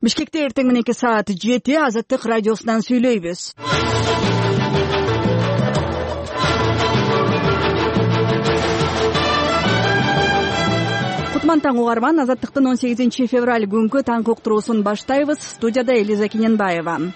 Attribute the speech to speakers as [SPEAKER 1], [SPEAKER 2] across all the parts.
[SPEAKER 1] Бишкекте эртең мененки саат 7 Азаттык радиосунан сүйлөйбүз. Кутман таң угарман, Азаттыктын 18 февраль күнгү таңкы уктуруусун баштайбыз. Студияда Элиза Кененбаева.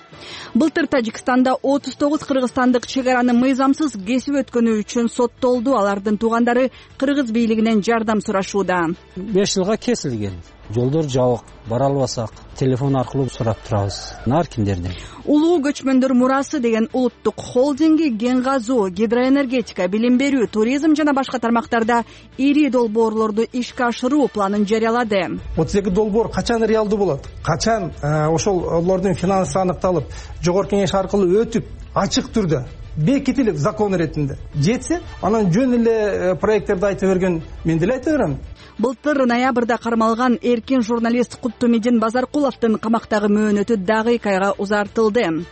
[SPEAKER 1] Былтыр Тажикстанда 39 кыргызстандык чек араны мыйзамсыз кесип өткөнү үчүн соттолду. Алардын туугандары кыргыз бийлигинен жардам сурашууда.
[SPEAKER 2] 5 жылга кесилген. Жолдор жабык, бара албасак телефон аркылуу сурап турабыз. Ар кимдерден.
[SPEAKER 1] Улуу көчмөндөр мурасы деген улуттук холдинги кен казуу, гидроэнергетика, билим берүү, туризм жана башка тармактарда ири долбоорлорду ишке ашыруу планын жарыялады.
[SPEAKER 3] 32 долбоор качан реалдуу болот? Качан ошолордун финансы аныкталып, жогорку кеңеш аркылуу өтүп, ачык түрдө бекитилип закон иретинде жетсе, анан жөн эле проекттерди айта берген мен деле айта берем.
[SPEAKER 1] Былтыр ноябрда кармалган эркин журналист Куттумидин Базаркуловдун камактагы мөөнөтү дагы 2 айга узартылды.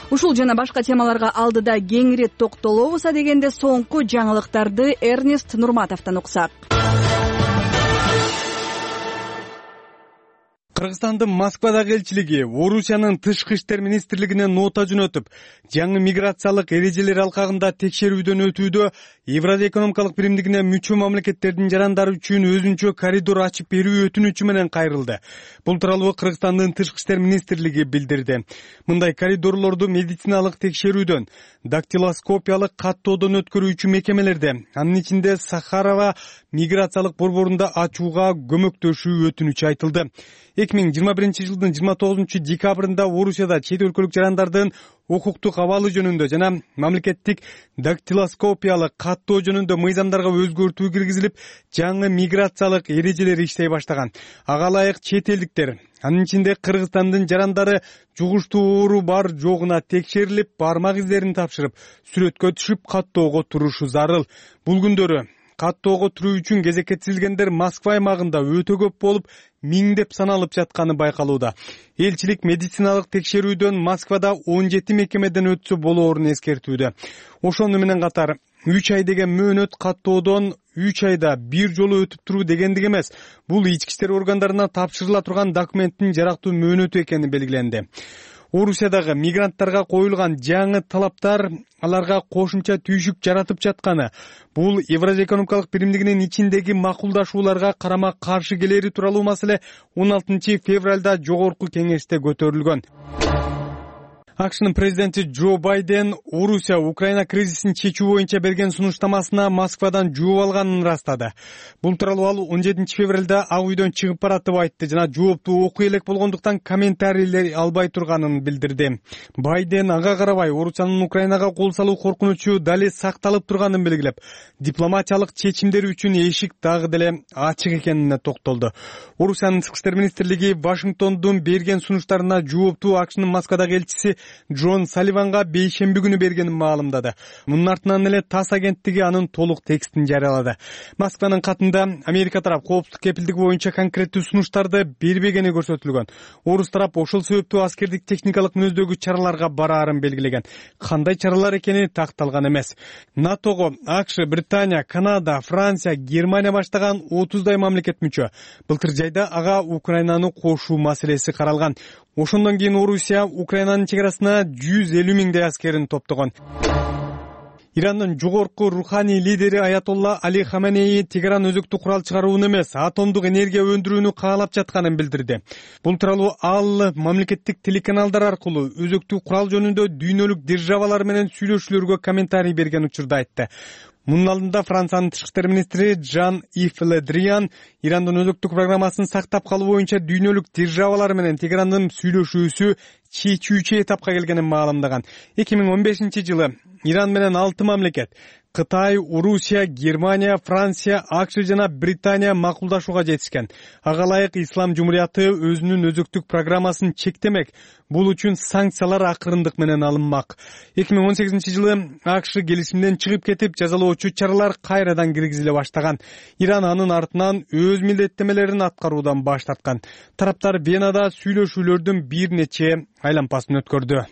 [SPEAKER 1] Ушул жана башка темаларга алдыда кеңири токтолобуз дегенде соңку жаңылыктарды Эрнест Нурматовдон уксак.
[SPEAKER 4] Кыргызстандын Москвадагы элчилиги Орусиянын тышкы иштер министрлигине нота жөнөтүп, жаңы миграциялык эрежелер алкагында текшерүүдөн өтүүдө Евразия экономикалык биримдигине мүчө мамлекеттердин жарандары үчүн өзүнчө коридор ачып берүү өтүнүчү менен кайрылды. Бул тууралуу Кыргызстандын тышкы иштер министрлиги билдирди. Мындай коридорлорду медициналык текшерүүдөн, дактилоскопиялык каттоодон өткөрүүчү мекемелерде, анын ичинде Сахарова миграциялык борборунда ачууга көмөктөшүү өтүнүчү айтылды. 2021 жылдын 29 декабрында Орусияда чет өлкөлүк жарандардын укуктук абалы жөнүндө жана мамлекеттик дактилоскопиялык каттоо жөнүндө мыйзамдарга өзгөртүү киргизилип, жаңы миграциялык эрежелер иштей баштаган. Ага ылайык чет элдиктер, анын ичинде Кыргызстандын жарандары жугуштуу оору бар жогуна текшерилип, бармак издерин тапшырып, сүрөткө түшүп каттоого турушу зарыл. Бул күндөрү каттоого туруу үчүн кезекке тизилгендер Москва аймагында өтө көп болуп, миңдеп саналып жатканы байкалууда. Элчилик медициналык текшерүүдөн Москвада 17 мекемеден өтсө болоорун эскертүүдө. Ошону менен катар 3 ай деген мөөнөт каттоодон 3 айда бир жолу өтүп туруу дегендик эмес. Бул ички иштер органдарына тапшырыла турган документтин жарактуу мөөнөтү экени белгиленди. Орусиядагы мигранттарга коюлган жаңы талаптар аларга кошумча түйшүк жаратып жатканы, бул Евразия экономикалык биримдигинин ичиндеги макулдашууларга карама каршы келери тууралуу маселе 16 февралда жогорку кеңеште көтөрүлгөн. АКШнын президенти Джо Байден Орусия Украина кризисин чечүү боюнча берген сунуштамасына Москвадан жооп алганын ырастады. Бул тууралуу ал 17 февралда Ак үйдөн чыгып баратып айтты жана жоопту окуй элек болгондуктан комментарийлер албай турганын билдирди. Байден ага карабай Орусиянын Украинага кол салуу коркунучу дали сакталып турганын белгилеп, дипломатиялык чечимдер үчүн эшик дагы деле ачык экенине токтолду. Орусиянын тышкы иштер министрлиги Вашингтондун берген сунуштарына жоопту АКШнын Москвадагы элчиси Джон Салливанга бейшемби күнү бергенин маалымдады. Мунун артынан эле ТАСС агенттиги анын толук текстин жарыялады. Москванын катында Америка тарап коопсуздук кепилдиги боюнча конкреттүү сунуштарды бербегени көрсөтүлгөн. Орус тарап ошол себептүү аскердик техникалык мүнөздөгү чараларга бараарын белгилеген. Кандай чаралар экени такталган эмес. НАТОго АКШ, Британия, Канада, Франция, Германия баштаган 30дай мамлекет мүчө. Былтыр жайда ага Украинаны кошуу маселеси каралган. Ошондон кийин Орусия Украинанын чек арасына 150 миңдей аскерин топтогон. Ирандын жогорку руханий лидери Аятолла Али Хаменеи Тегеран өзөктүк курал чыгарууну эмес, атомдук энергия өндүрүүнү каалап жатканын билдирди. Бул тууралуу ал мамлекеттик телеканалдар аркылуу өзөктүк курал жөнүндө дүйнөлүк державалар менен сүйлөшүүлөргө комментарий берген учурда айтты. Мунун алдында Франциянын тышкы иштер министри Жан-Ив Ле Дриан Ирандын өзөктүк программасын сактап калуу боюнча дүйнөлүк державалар менен Тегерандын сүйлөшүүсү чечүүчү этапка келгенин маалымдаган. 2015 жылы Иран менен 6 мамлекет Кытай, Орусия, Германия, Франция, АКШ жана Британия макулдашууга жетишкен. Ага ылайык Ислам жумурияты өзүнүн өзөктүк программасын чектемек. Бул үчүн санкциялар акырындык менен алынмак. 2018 жылы АКШ келишимден чыгып кетип, жазалоочу чаралар кайрадан киргизиле баштаган. Иран анын артынан өз милдеттемелерин аткаруудан баш тарткан. Тараптар Венада сүйлөшүүлөрдүн бир нече айлампасын өткөрдү.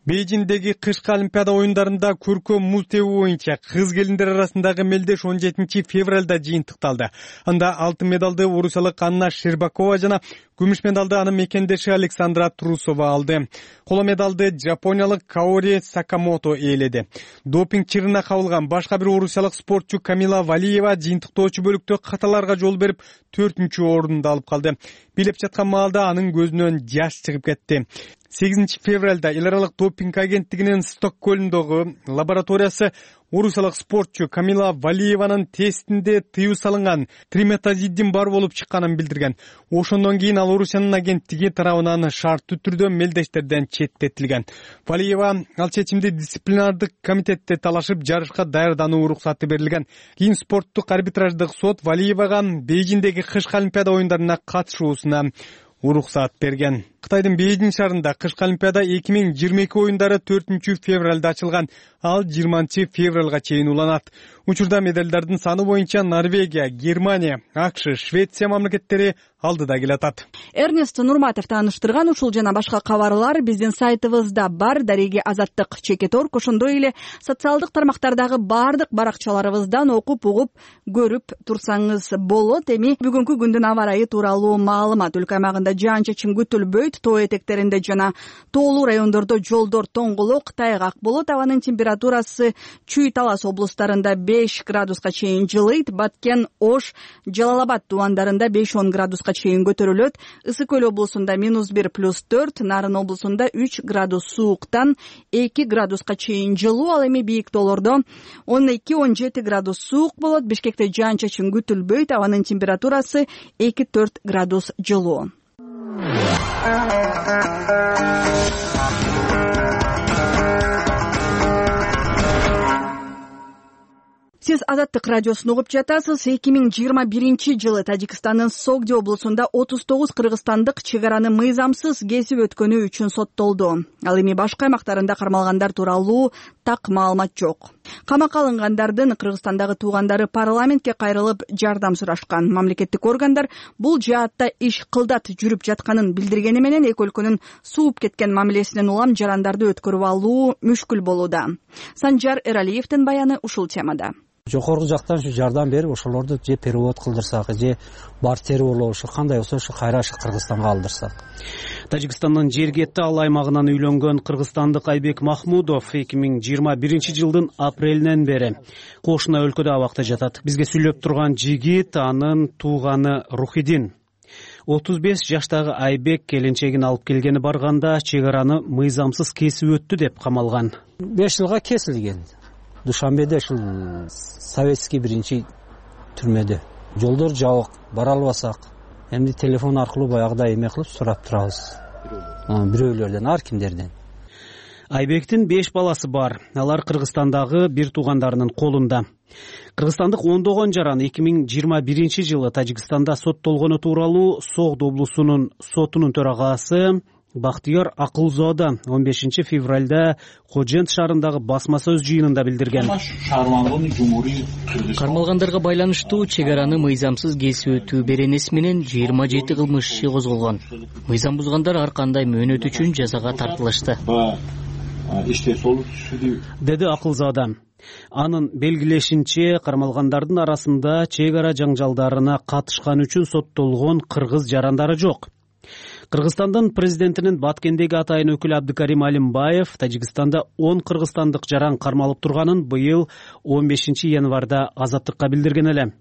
[SPEAKER 4] Бейжиңдеги кышкы Олимпиада оюндарында көркөм муз тебүү боюнча кыз келиндер арасындагы мелдеш 17 февралда жыйынтыкталды. Анда алтын медалды орусиялык Анна Щербакова жана Күмүш медалды анын мекендеши Александра Трусова алды. Коло медалды жапониялык Каори Сакамото ээледи. Допинг чырына кабылган башка бир орусиялык спортчу Камила Валиева жыйынтыктоочу бөлүктө каталарга жол берип 4-орунду алып калды. Билеп жаткан маалда анын көзүнөн жаш чыгып кетти. 8 февралда эл аралык допинг агенттигинин Стокгольмдогу лабораториясы орусиялык спортчу Камила Валиеванын тестинде тыюу салынган триметазидин бар болуп чыкканын билдирген. Ошондон кийин ал Орусиянын агенттиги тарабынан шарттуу түрдө мелдештерден четтетилген. Валиева ал чечимди дисциплинардык комитетте талашып жарышка даярдануу уруксаты берилген. Кийин спорттук арбитраждык сот Валиевага Бейжиңдеги кышкы олимпиада оюндарына катышуусуна уруксат берген. Кытайдын Бейжиң шаарында кышкы олимпиада 2022 оюндары 4 февралда ачылган. Ал 20 февралга чейин уланат. Учурда медалдардын саны боюнча Норвегия, Германия, АКШ, Швеция мамлекеттери алдыда келатат.
[SPEAKER 1] Эрнест Нурматов тааныштырган ушул жана башка кабарлар биздин сайтыбызда бар. Дареги Азаттык Чекет.орг, ошондой эле социалдык тармактардагы бардык баракчаларыбыздан окуп, угуп, көрүп турсаңыз болот. Эми бүгүнкү күндүн аба ырайы тууралуу маалымат. Өлкө аймагында жаан-чачын күтүлбөйт. Тоо этектеринде жана тоолуу райондордо жолдор тоңголок, тайгак болот. Абанын температурасы Чүй, Талас облустарында 5 градуска чейин жылыйт. Баткен, Ош, Жалал-Абад тубандарында 5-10 градуска чейин көтөрүлөт. Ысык Көл облусунда -1 + 4, Нарын облусунда 3 градус сууктан 2 градуска чейин жылуу. Ал эми бийик тоолордо 12-17 градус суук болот. Бишкекте жаан-чачын күтүлбөйт. Абанын температурасы 2-4 градус жылуу. Сиз Азаттык радиосун угуп жатасыз. 2021 жылы Тажикстандын Согди облусунда 39 кыргызстандык чек араны мыйзамсыз кесип өткөнү үчүн соттолду. Ал эми башка аймактарында кармалгандар тууралуу так маалымат жок. Камакка алынгандардын Кыргызстандагы туугандары парламентке кайрылып жардам сурашкан. Мамлекеттик органдар бул жаатта иш кылдат жүрүп жатканын билдиргени менен эки өлкөнүн сууп кеткен мамилесинен улам жарандарды өткөрүп алуу мүшкүл болууда. Санжар Эралиевдин баяны ушул темада.
[SPEAKER 2] Жокорку жактан ушу жардам берип, ошолорду же перевод кылдырсак, же бартер болобу, ушу кандай болсо ушу кайра Кыргызстанга алдырсак.
[SPEAKER 5] Тажикстандын Жергетти ал аймагынан үйлөнгөн кыргызстандык Айбек Махмудов 2021 жылдын апрелинен бери кошуна өлкөдө абакта жатат. Бизге сүйлөп турган жигит анын тууганы Рухидин. 35 жаштагы Айбек келинчегин алып келгени барганда чек араны мыйзамсыз кесип өттү деп камалган.
[SPEAKER 2] 5 жылга кесилген. Душанбеде ушул советский биринчи түрмөдө. Жолдор жабык, бара албасак, эмди телефон аркылуу баягыдай эме кылып сурап турабыз. Бирөөлөрдөн, ар кимдерден.
[SPEAKER 5] Айбектин 5 баласы бар. Алар Кыргызстандагы бир туугандарынын колунда. Кыргызстандык ондогон жаран 2021 жылы Тажикстанда соттолгону тууралуу Согд облусунун сотунун төрагасы Бактыяр Акылзода 15 февралда Кожент шаарындагы басма сөз жыйынында билдирген.
[SPEAKER 6] Кармалгандарга байланыштуу чек араны мыйзамсыз кесип өтүү беренеси менен 27 кылмыш иши козголгон. Мыйзам бузгандар ар кандай мөөнөт үчүн жазага тартылышты,
[SPEAKER 5] деди Акылзода. Анын белгилешинче, кармалгандардын арасында чек ара жаңжалдарына катышкан үчүн соттолгон кыргыз жарандары жок. Кыргызстандын президентинин Баткендеги атайын өкүлү Абдыкарим Алимбаев Тажикстанда 10 кыргызстандык жаран кармалып турганын быйыл 15 январда Азаттыкка билдирген эле.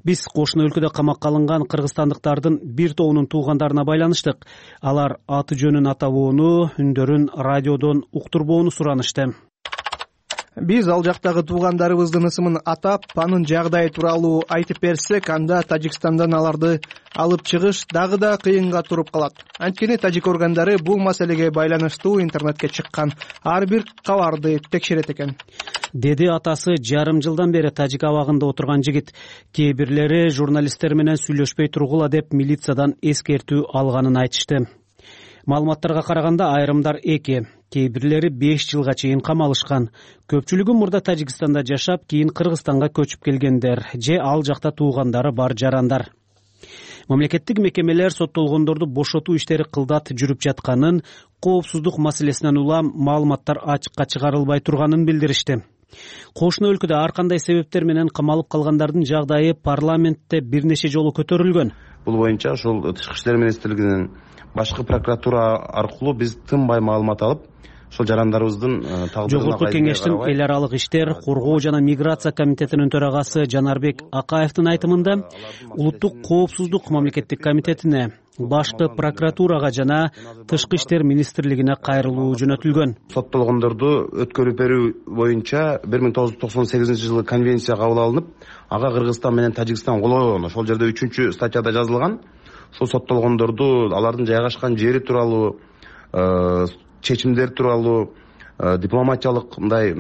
[SPEAKER 5] Биз кошуна өлкөдө камакка алынган кыргызстандыктардын бир тобунун туугандарына байланыштык. Алар аты жөнүн атабоону, үндөрүн радиодон уктурбоону суранышты.
[SPEAKER 7] Биз ал жактагы туугандарыбыздын ысымын атап, анын жагдайы тууралуу айтып берсек, анда Тажикстандан аларды алып чыгыш дагы да кыйынга туруп калат. Анткени тажик органдары бул маселеге байланыштуу интернетке чыккан ар бир кабарды текшерет экен,
[SPEAKER 5] деди атасы жарым жылдан бери тажик абагында отурган жигит. Кээ бирлери журналисттер менен сүйлөшпөй тургула деп милициядан эскертүү алганын айтышты. Маалыматтарга караганда айрымдар 2, кээ бирлери 5 жылга чейин камалышкан. Көпчүлүгү мурда Тажикстанда жашап, кийин Кыргызстанга көчүп келгендер же ал жакта туугандары бар жарандар. Мамлекеттик мекемелер соттолгондорду бошотуу иштери кылдат жүрүп жатканын, коопсуздук маселесинен улам маалыматтар ачыкка чыгарылбай турганын билдиришти. Кошуна өлкөдө ар кандай себептер менен камалып калгандардын жагдайы парламентте бир нече жолу көтөрүлгөн.
[SPEAKER 8] Бул боюнча ошол Тышкы иштер министрлигинин башкы прокуратура аркылуу биз тынбай маалымат алып, ошол жарандарыбыздын тагдырына
[SPEAKER 5] Жогорку кеңештин эл аралык иштер, коргоо жана миграция комитетинин төрагасы Жанарбек Акаевдин айтымында улуттук коопсуздук мамлекеттик комитетине, башкы прокуратурага жана Тышкы иштер министрлигине кайрылуу жөнөтүлгөн.
[SPEAKER 8] Соттолгондорду өткөрүп берүү боюнча 1998-жылы конвенция кабыл алынып, ага Кыргызстан менен Тажикстан кол койгон. Ошол жерде 3 статьяда жазылган. Ошол соттолгондорду алардын жайгашкан жери тууралуу, чечимдер тууралуу дипломатиялык мындай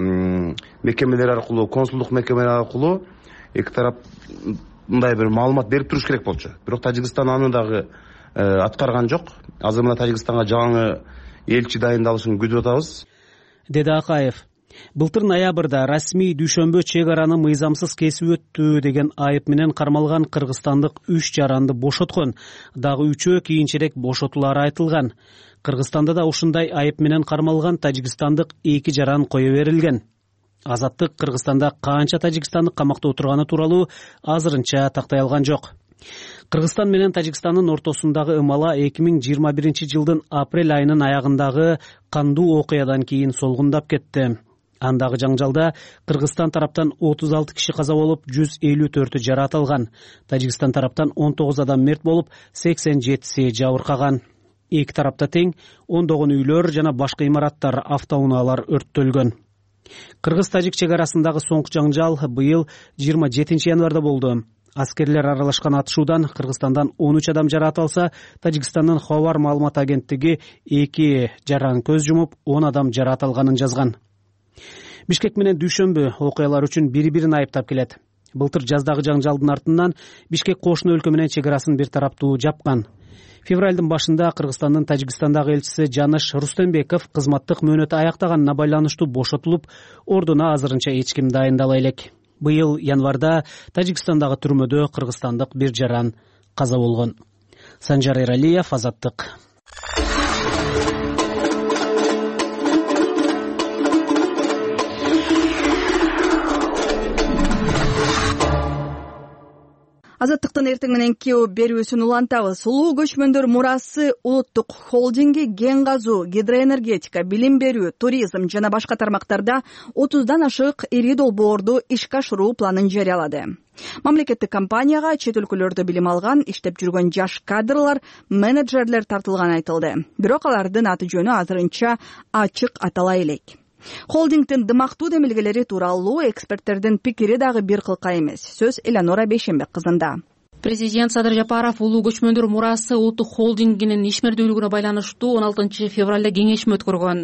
[SPEAKER 8] мекемелер аркылуу, консулдук мекемелер аркылуу эки тарап мындай бир маалымат берип туруш керек болчу. Бирок Тажикстан аны дагы аткарган жок. Азыр мына Тажикстанга жаңы элчи дайындалышын күтүп атабыз,
[SPEAKER 5] деди Акаев. Былтыр ноябрда расмий дүйшөмбө чек араны мыйзамсыз кесип өттү деген айып менен кармалган кыргызстандык 3 жаранды бошоткон. Дагы 3-өө кийинчерээк бошотулары айтылган. Кыргызстанда да ушундай айып менен кармалган тажикстандык 2 жаран кое берилген. Азаттык Кыргызстанда канча тажикстандык камакта отурганы тууралуу азырынча тактай алган жок. Кыргызстан менен Тажикстандын ортосундагы ымала 2021-жылдын апрель айынын аягындагы кандуу окуядан кийин солгундап кетти. Андагы жаңжалда Кыргызстан тараптан 36 киши каза болуп, 154-ü жараат алган. Тажикстан тараптан 19 адам мерт болуп, 87-си жабыркаган. Эки тарапта тең ондогон үйлөр жана башка имараттар, автоунаалар өрттөлгөн. Кыргыз-тажик чек арасындагы соңку жаңжал быйыл 27 январда болду. Аскерлер аралашкан атышуудан Кыргызстандан 13 адам жараат алса, Тажикстандын Хабар маалымат агенттиги 2 жаран көз жумуп, 10 адам жараат алганын жазган. Бишкек менен дүйшөмбү окуялар үчүн бири-бирин айыптап келет. Былтыр жаздагы жаңжалдын артынан Бишкек кошуна өлкө менен чек арасын бир тараптуу жапкан. Февралдын башында Кыргызстандын Тажикстандагы элчиси Жаныш Рустембеков кызматтык мөөнөтү аяктаганына байланыштуу бошотулуп, ордуна азырынча эч ким дайындала элек. Быйыл январда Тажикстандагы түрмөдө кыргызстандык бир жаран каза болгон. Санжар Эралиев, Азаттык.
[SPEAKER 1] Азаттыктын эртең менен кео берүүсүн улантабыз. Улуу көчмөндөр мурасы улуттук холдинги кен казуу, гидроэнергетика, билим берүү, туризм жана башка тармактарда 30дан ашык ири долбоорду ишке ашыруу планын жарыялады. Мамлекеттик компанияга чет өлкөлөрдө билим алган, иштеп жүргөн жаш кадрлар, менеджерлер тартылганы айтылды. Бирок алардын аты жөнү азырынча ачык атала элек. Холдингдин дымактуу демилгелери тууралуу эксперттердин пикири дагы бир кылка эмес. Сөз Эланора Бейшенбек кызында.
[SPEAKER 9] Президент Садыр Жапаров улуу көчмөндөр мурасы улуттук холдингинин ишмердүүлүгүнө байланыштуу 16 февралда кеңешме өткөргөн.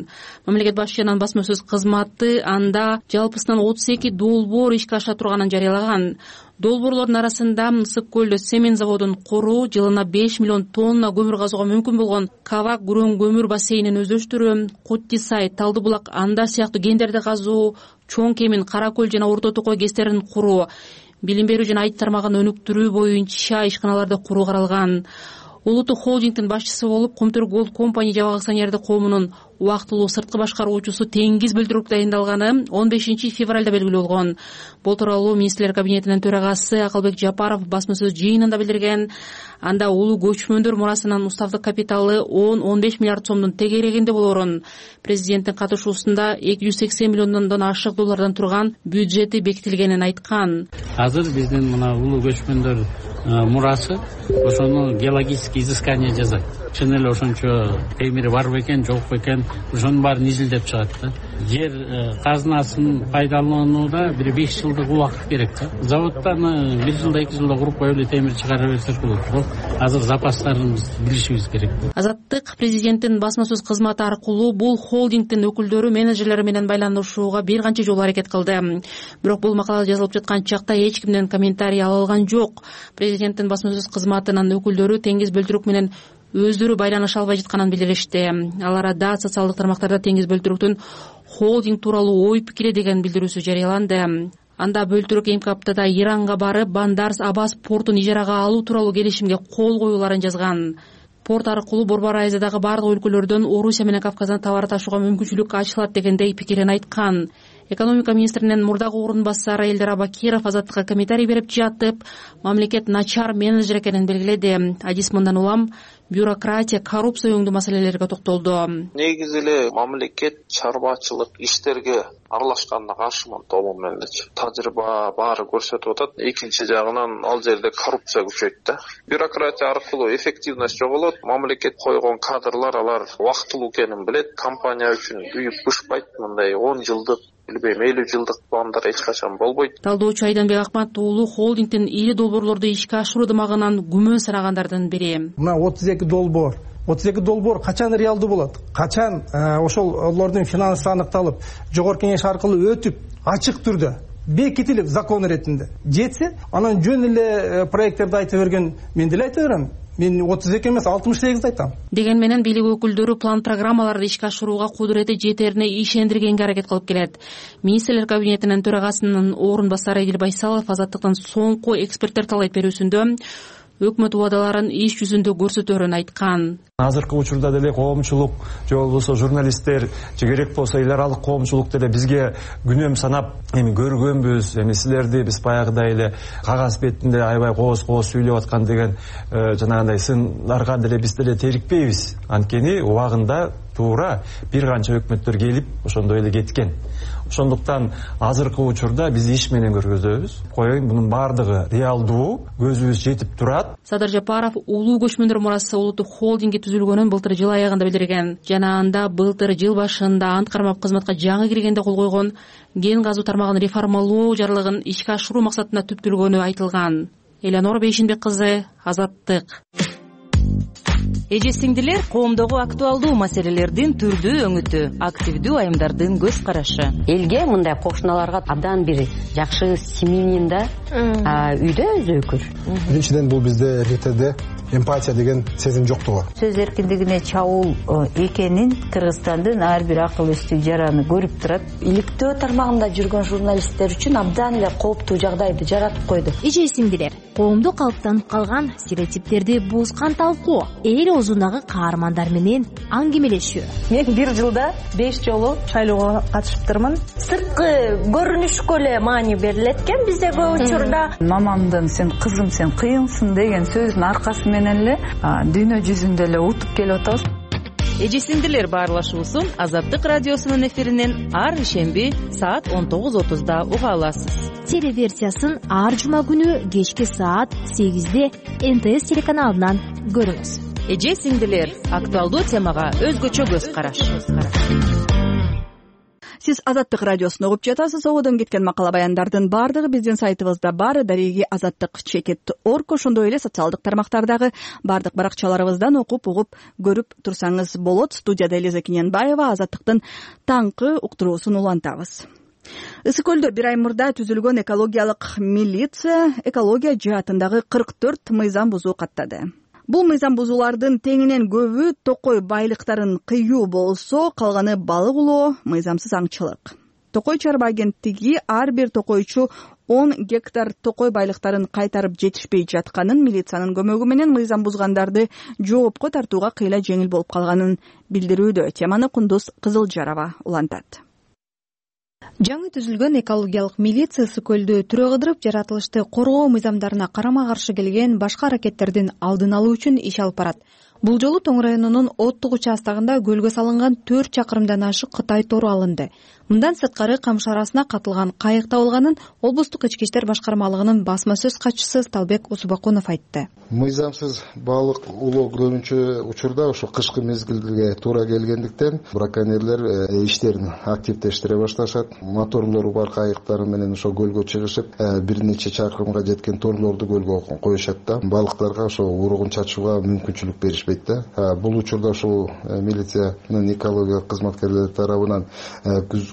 [SPEAKER 9] Мамлекет башчынын басма сөз кызматы анда жалпысынан 32 долбоор ишке аша турганын жарыялаган. Долбоорлордун арасында Ысык көлдө цемент заводун куруу, жылына 5 миллион тонна көмүр казууга мүмкүн болгон Кавак Гүрөң көмүр бассейнин өздөштүрүү, Куттисай, Талдыбулак, Андар сыяктуу кендерди казуу, Чоң Кемин, Кара көл жана Орто Токой кестерин куруу, билим берүү жана айт тармагын өнүктүрүү боюнча ишканаларды куруу каралган. Улуттук холдингдин башчысы болуп Комтөр Голд компани жабык акционердик коомунун убактылуу сырткы башкаруучусу Теңиз Бөлтүрөк дайындалганы 15 февралда белгилүү болгон. Бул тууралуу министрлер кабинетинин төрагасы Акылбек Жапаров басма сөз жыйынында билдирген. Анда улуу көчмөндөр мурасынын уставдык капиталы 10-15 миллиард сомдун тегерегинде болорун, президенттин катышуусунда 280 миллиондон ашык доллардан турган бюджети бекитилгенин айткан.
[SPEAKER 10] Азыр биздин мына улуу көчмөндөр мурасы ошону геологический изыскание жасайт. Чын эле ошончо темири бар бекен, жок бекен, ошонун баарын изилдеп чыгат да. Жер казынасын пайдаланууда бир 5 жылдык убакыт керек да. Заводтан 1 жылда 2 жылда куруп коюп эле темир чыгара берсек болот. Азыр запастарыбызды билишибиз керек.
[SPEAKER 9] Азаттык президенттин басма сөз кызматы аркылуу бул холдингдин өкүлдөрү менеджерлери менен байланышууга бир канча жолу аракет кылды. Бирок бул макала жазылып жаткан чакта эч кимден комментарий ала алган жок. Президенттин басма сөз кызматынын өкүлдөрү Теңиз Бөлтүрөк менен өздөрү байланыша албай жатканын билдиришти. Ал арада социалдык тармактарда Теңиз Бөлтүрөктүн холдинг тууралуу ой пикири деген билдирүүсү жарыяланды. Анда Бөлтүрөк эмки аптада Иранга барып, Бандарс Аббас портун ижарага алуу тууралуу келишимге кол коюуларын жазган. Порт аркылуу Борбор Азиядагы бардык өлкөлөрдөн Орусия менен Кавказдан товар ташууга мүмкүнчүлүк ачылат дегендей пикирин айткан. Экономика министринин мурдагы орун басары Элдер Абакиров Азаттыкка комментарий берип жатып, мамлекет начар менеджер экенин белгиледи. Адис мындан улам бюрократия, коррупция өңдүү маселелерге токтолду.
[SPEAKER 11] Негизи эле мамлекет чарбачылык иштерге аралашканына каршымын толугу менен. Тажрыйба баары көрсөтүп атат. Экинчи жагынан ал жерде коррупция күчөйт да. Бюрократия аркылуу эффективность жоголот. Мамлекет койгон кадрлар алар убактылуу экенин билет. Компания үчүн үйүп бышпайт. Мындай 10 жылдык билбейм 50 жылдык пландар эч качан болбойт.
[SPEAKER 9] Талдоочу Айданбек Акмат уулу холдингдин ири долбоорлорду ишке ашыруудамагынан күмөн санагандардын бири.
[SPEAKER 3] Мына 32 долбоор качан реалдуу болот? Качан ошолордун финансы аныкталып, жогорку кеңеш аркылуу өтүп, ачык түрдө бекитилип закон иретинде жетсе, анан жөн эле проекттерди айтып берген мен деле айта берем. Мен 32 эмес 68 айтам.
[SPEAKER 9] Деген менен бийлик өкүлдөрү план программаларды ишке ашырууга кудурети жетерине ишендиргенге аракет кылып келет. Министрлер кабинетинин төрагасынын орун басары Эдил Байсалов Азаттыктын соңку эксперттер талайт берүүсүндө өкмөт убадаларын иш жүзүндө көрсөтөөрүн айткан.
[SPEAKER 12] Азыркы учурда деле коомчулук же болбосо журналисттер же керек болсо эл аралык коомчулук деле бизге күнөм санап эми көргөнбүз, эми силерди биз баягыдай эле кагаз бетинде аябай кооз сүйлөп аткан деген жанагындай сындарга деле биз деле терикпейбиз. Анткени убагында туура бир канча өкмөттөр келип ошондой эле кеткен. Ошондуктан азыркы учурда биз иш менен көргөзөбүз. Коеюн мунун баардыгы реалдуу, көзүбүз жетип турат.
[SPEAKER 9] Садыр Жапаров улуу көчмөндөр мурасы улуттук холдинги түзүлгөнүн былтыр жыл аягында билдирген. Жана анда былтыр жыл башында ант кармап кызматка жаңы киргенде кол койгон кен газуу тармагын реформалоо жарлыгын ишке ашыруу максатында түптөлгөнү айтылган. Элеонора Бейшинбек кызы, Азаттык.
[SPEAKER 13] Эже сиңдилер, коомдогу актуалдуу маселелердин түрдүү өңүтү, активдүү айымдардын көз карашы.
[SPEAKER 14] Элге мындай кошуналарга абдан бир жакшы семьянин да үйдө өзөкүр.
[SPEAKER 15] Биринчиден бул бизде РТде эмпатия деген сезим жоктугу.
[SPEAKER 16] Сөз эркиндигине чабуул экенин Кыргызстандын ар бир акыл эстүү жараны көрүп турат.
[SPEAKER 17] Иликтөө тармагында жүргөн журналисттер үчүн абдан эле кооптуу жагдайды жаратып койду.
[SPEAKER 18] Эже сиңдилер, коомдо калыптанып калган стереотиптерди бузган талкуу, эл оозундагы каармандар менен аңгемелешүү.
[SPEAKER 17] Мен бир жылда 5 жолу шайлоого катышыптырмын. Сырткы көрүнүшкө эле маани берилет экен бизде көп учурда.
[SPEAKER 16] Мамамдын сен кызым сен кыйынсың деген сөзүнүн аркасы менен эле дүйнө жүзүндө эле утуп келип атабыз.
[SPEAKER 13] Эже сиңдилер баарлашуусун Азаттык радиосунун эфиринен ар ишемби саат 19:30 уга аласыз.
[SPEAKER 18] Телеверсиясын ар жума күнү кечки саат 8-де НТС телеканалынан көрүңүз.
[SPEAKER 13] Эже сиңдилер, актуалдуу темага өзгөчө көз караш.
[SPEAKER 1] Сиз Азаттык радиосун угуп жатасыз. Ободон кеткен макала баяндардын баардыгы биздин сайтыбызда бар. Дареги Азаттык.org, ошондой эле социалдык тармактардагы баардык баракчаларыбыздан окуп, угуп, көрүп турсаңыз болот. Студияда Элиза Кененбаева, Азаттыктын таңкы уктуруусун улантабыз. Ысык көлдө бир ай мурда түзүлгөн экологиялык милиция экология жаатындагы 44 мыйзам бузуу каттады. Бул мыйзам бузуулардын теңинен көбү токой байлыктарын кыюу болсо, калганы балык улоо, мыйзамсыз аңчылык. Токой чарба агенттиги ар бир токойчу 10 гектар токой байлыктарын кайтарып жетишпей жатканын, милициянын көмөгү менен мыйзам бузгандарды жоопко тартууга кыйла жеңил болуп калганын билдирүүдө. Теманы Кундуз Кызылжарова улантат.
[SPEAKER 19] Жаңы түзүлгөн экологиялык милиция ысык көлдү түрө кыдырып, жаратылышты коргоо мыйзамдарына карама-каршы келген башка аракеттердин алдын алуу үчүн иш алып барат. Бул жолу Тоң районунун Оттук участагында көлгө салынган 4 чакырымдан ашык Кытай тору алынды. Мындан сырткары камыш арасына катылган кайык табылганын облустук ички иштер башкармалыгынын басма сөз катчысы Сталбек Усубакунов айтты.
[SPEAKER 20] Мыйзамсыз балык улоо көрүнчү учурда ошо кышкы мезгилге туура келгендиктен браконьерлер иштерин активдештире башташат. Моторлору бар кайыктар менен ошо көлгө чыгышып, бир нече чакырымга жеткен торлорду көлгө коюшат да. Балыктарга ошо уругун чачууга мүмкүнчүлүк беришпейт да. Бул учурда ошо милициянын экология кызматкерлери тарабынан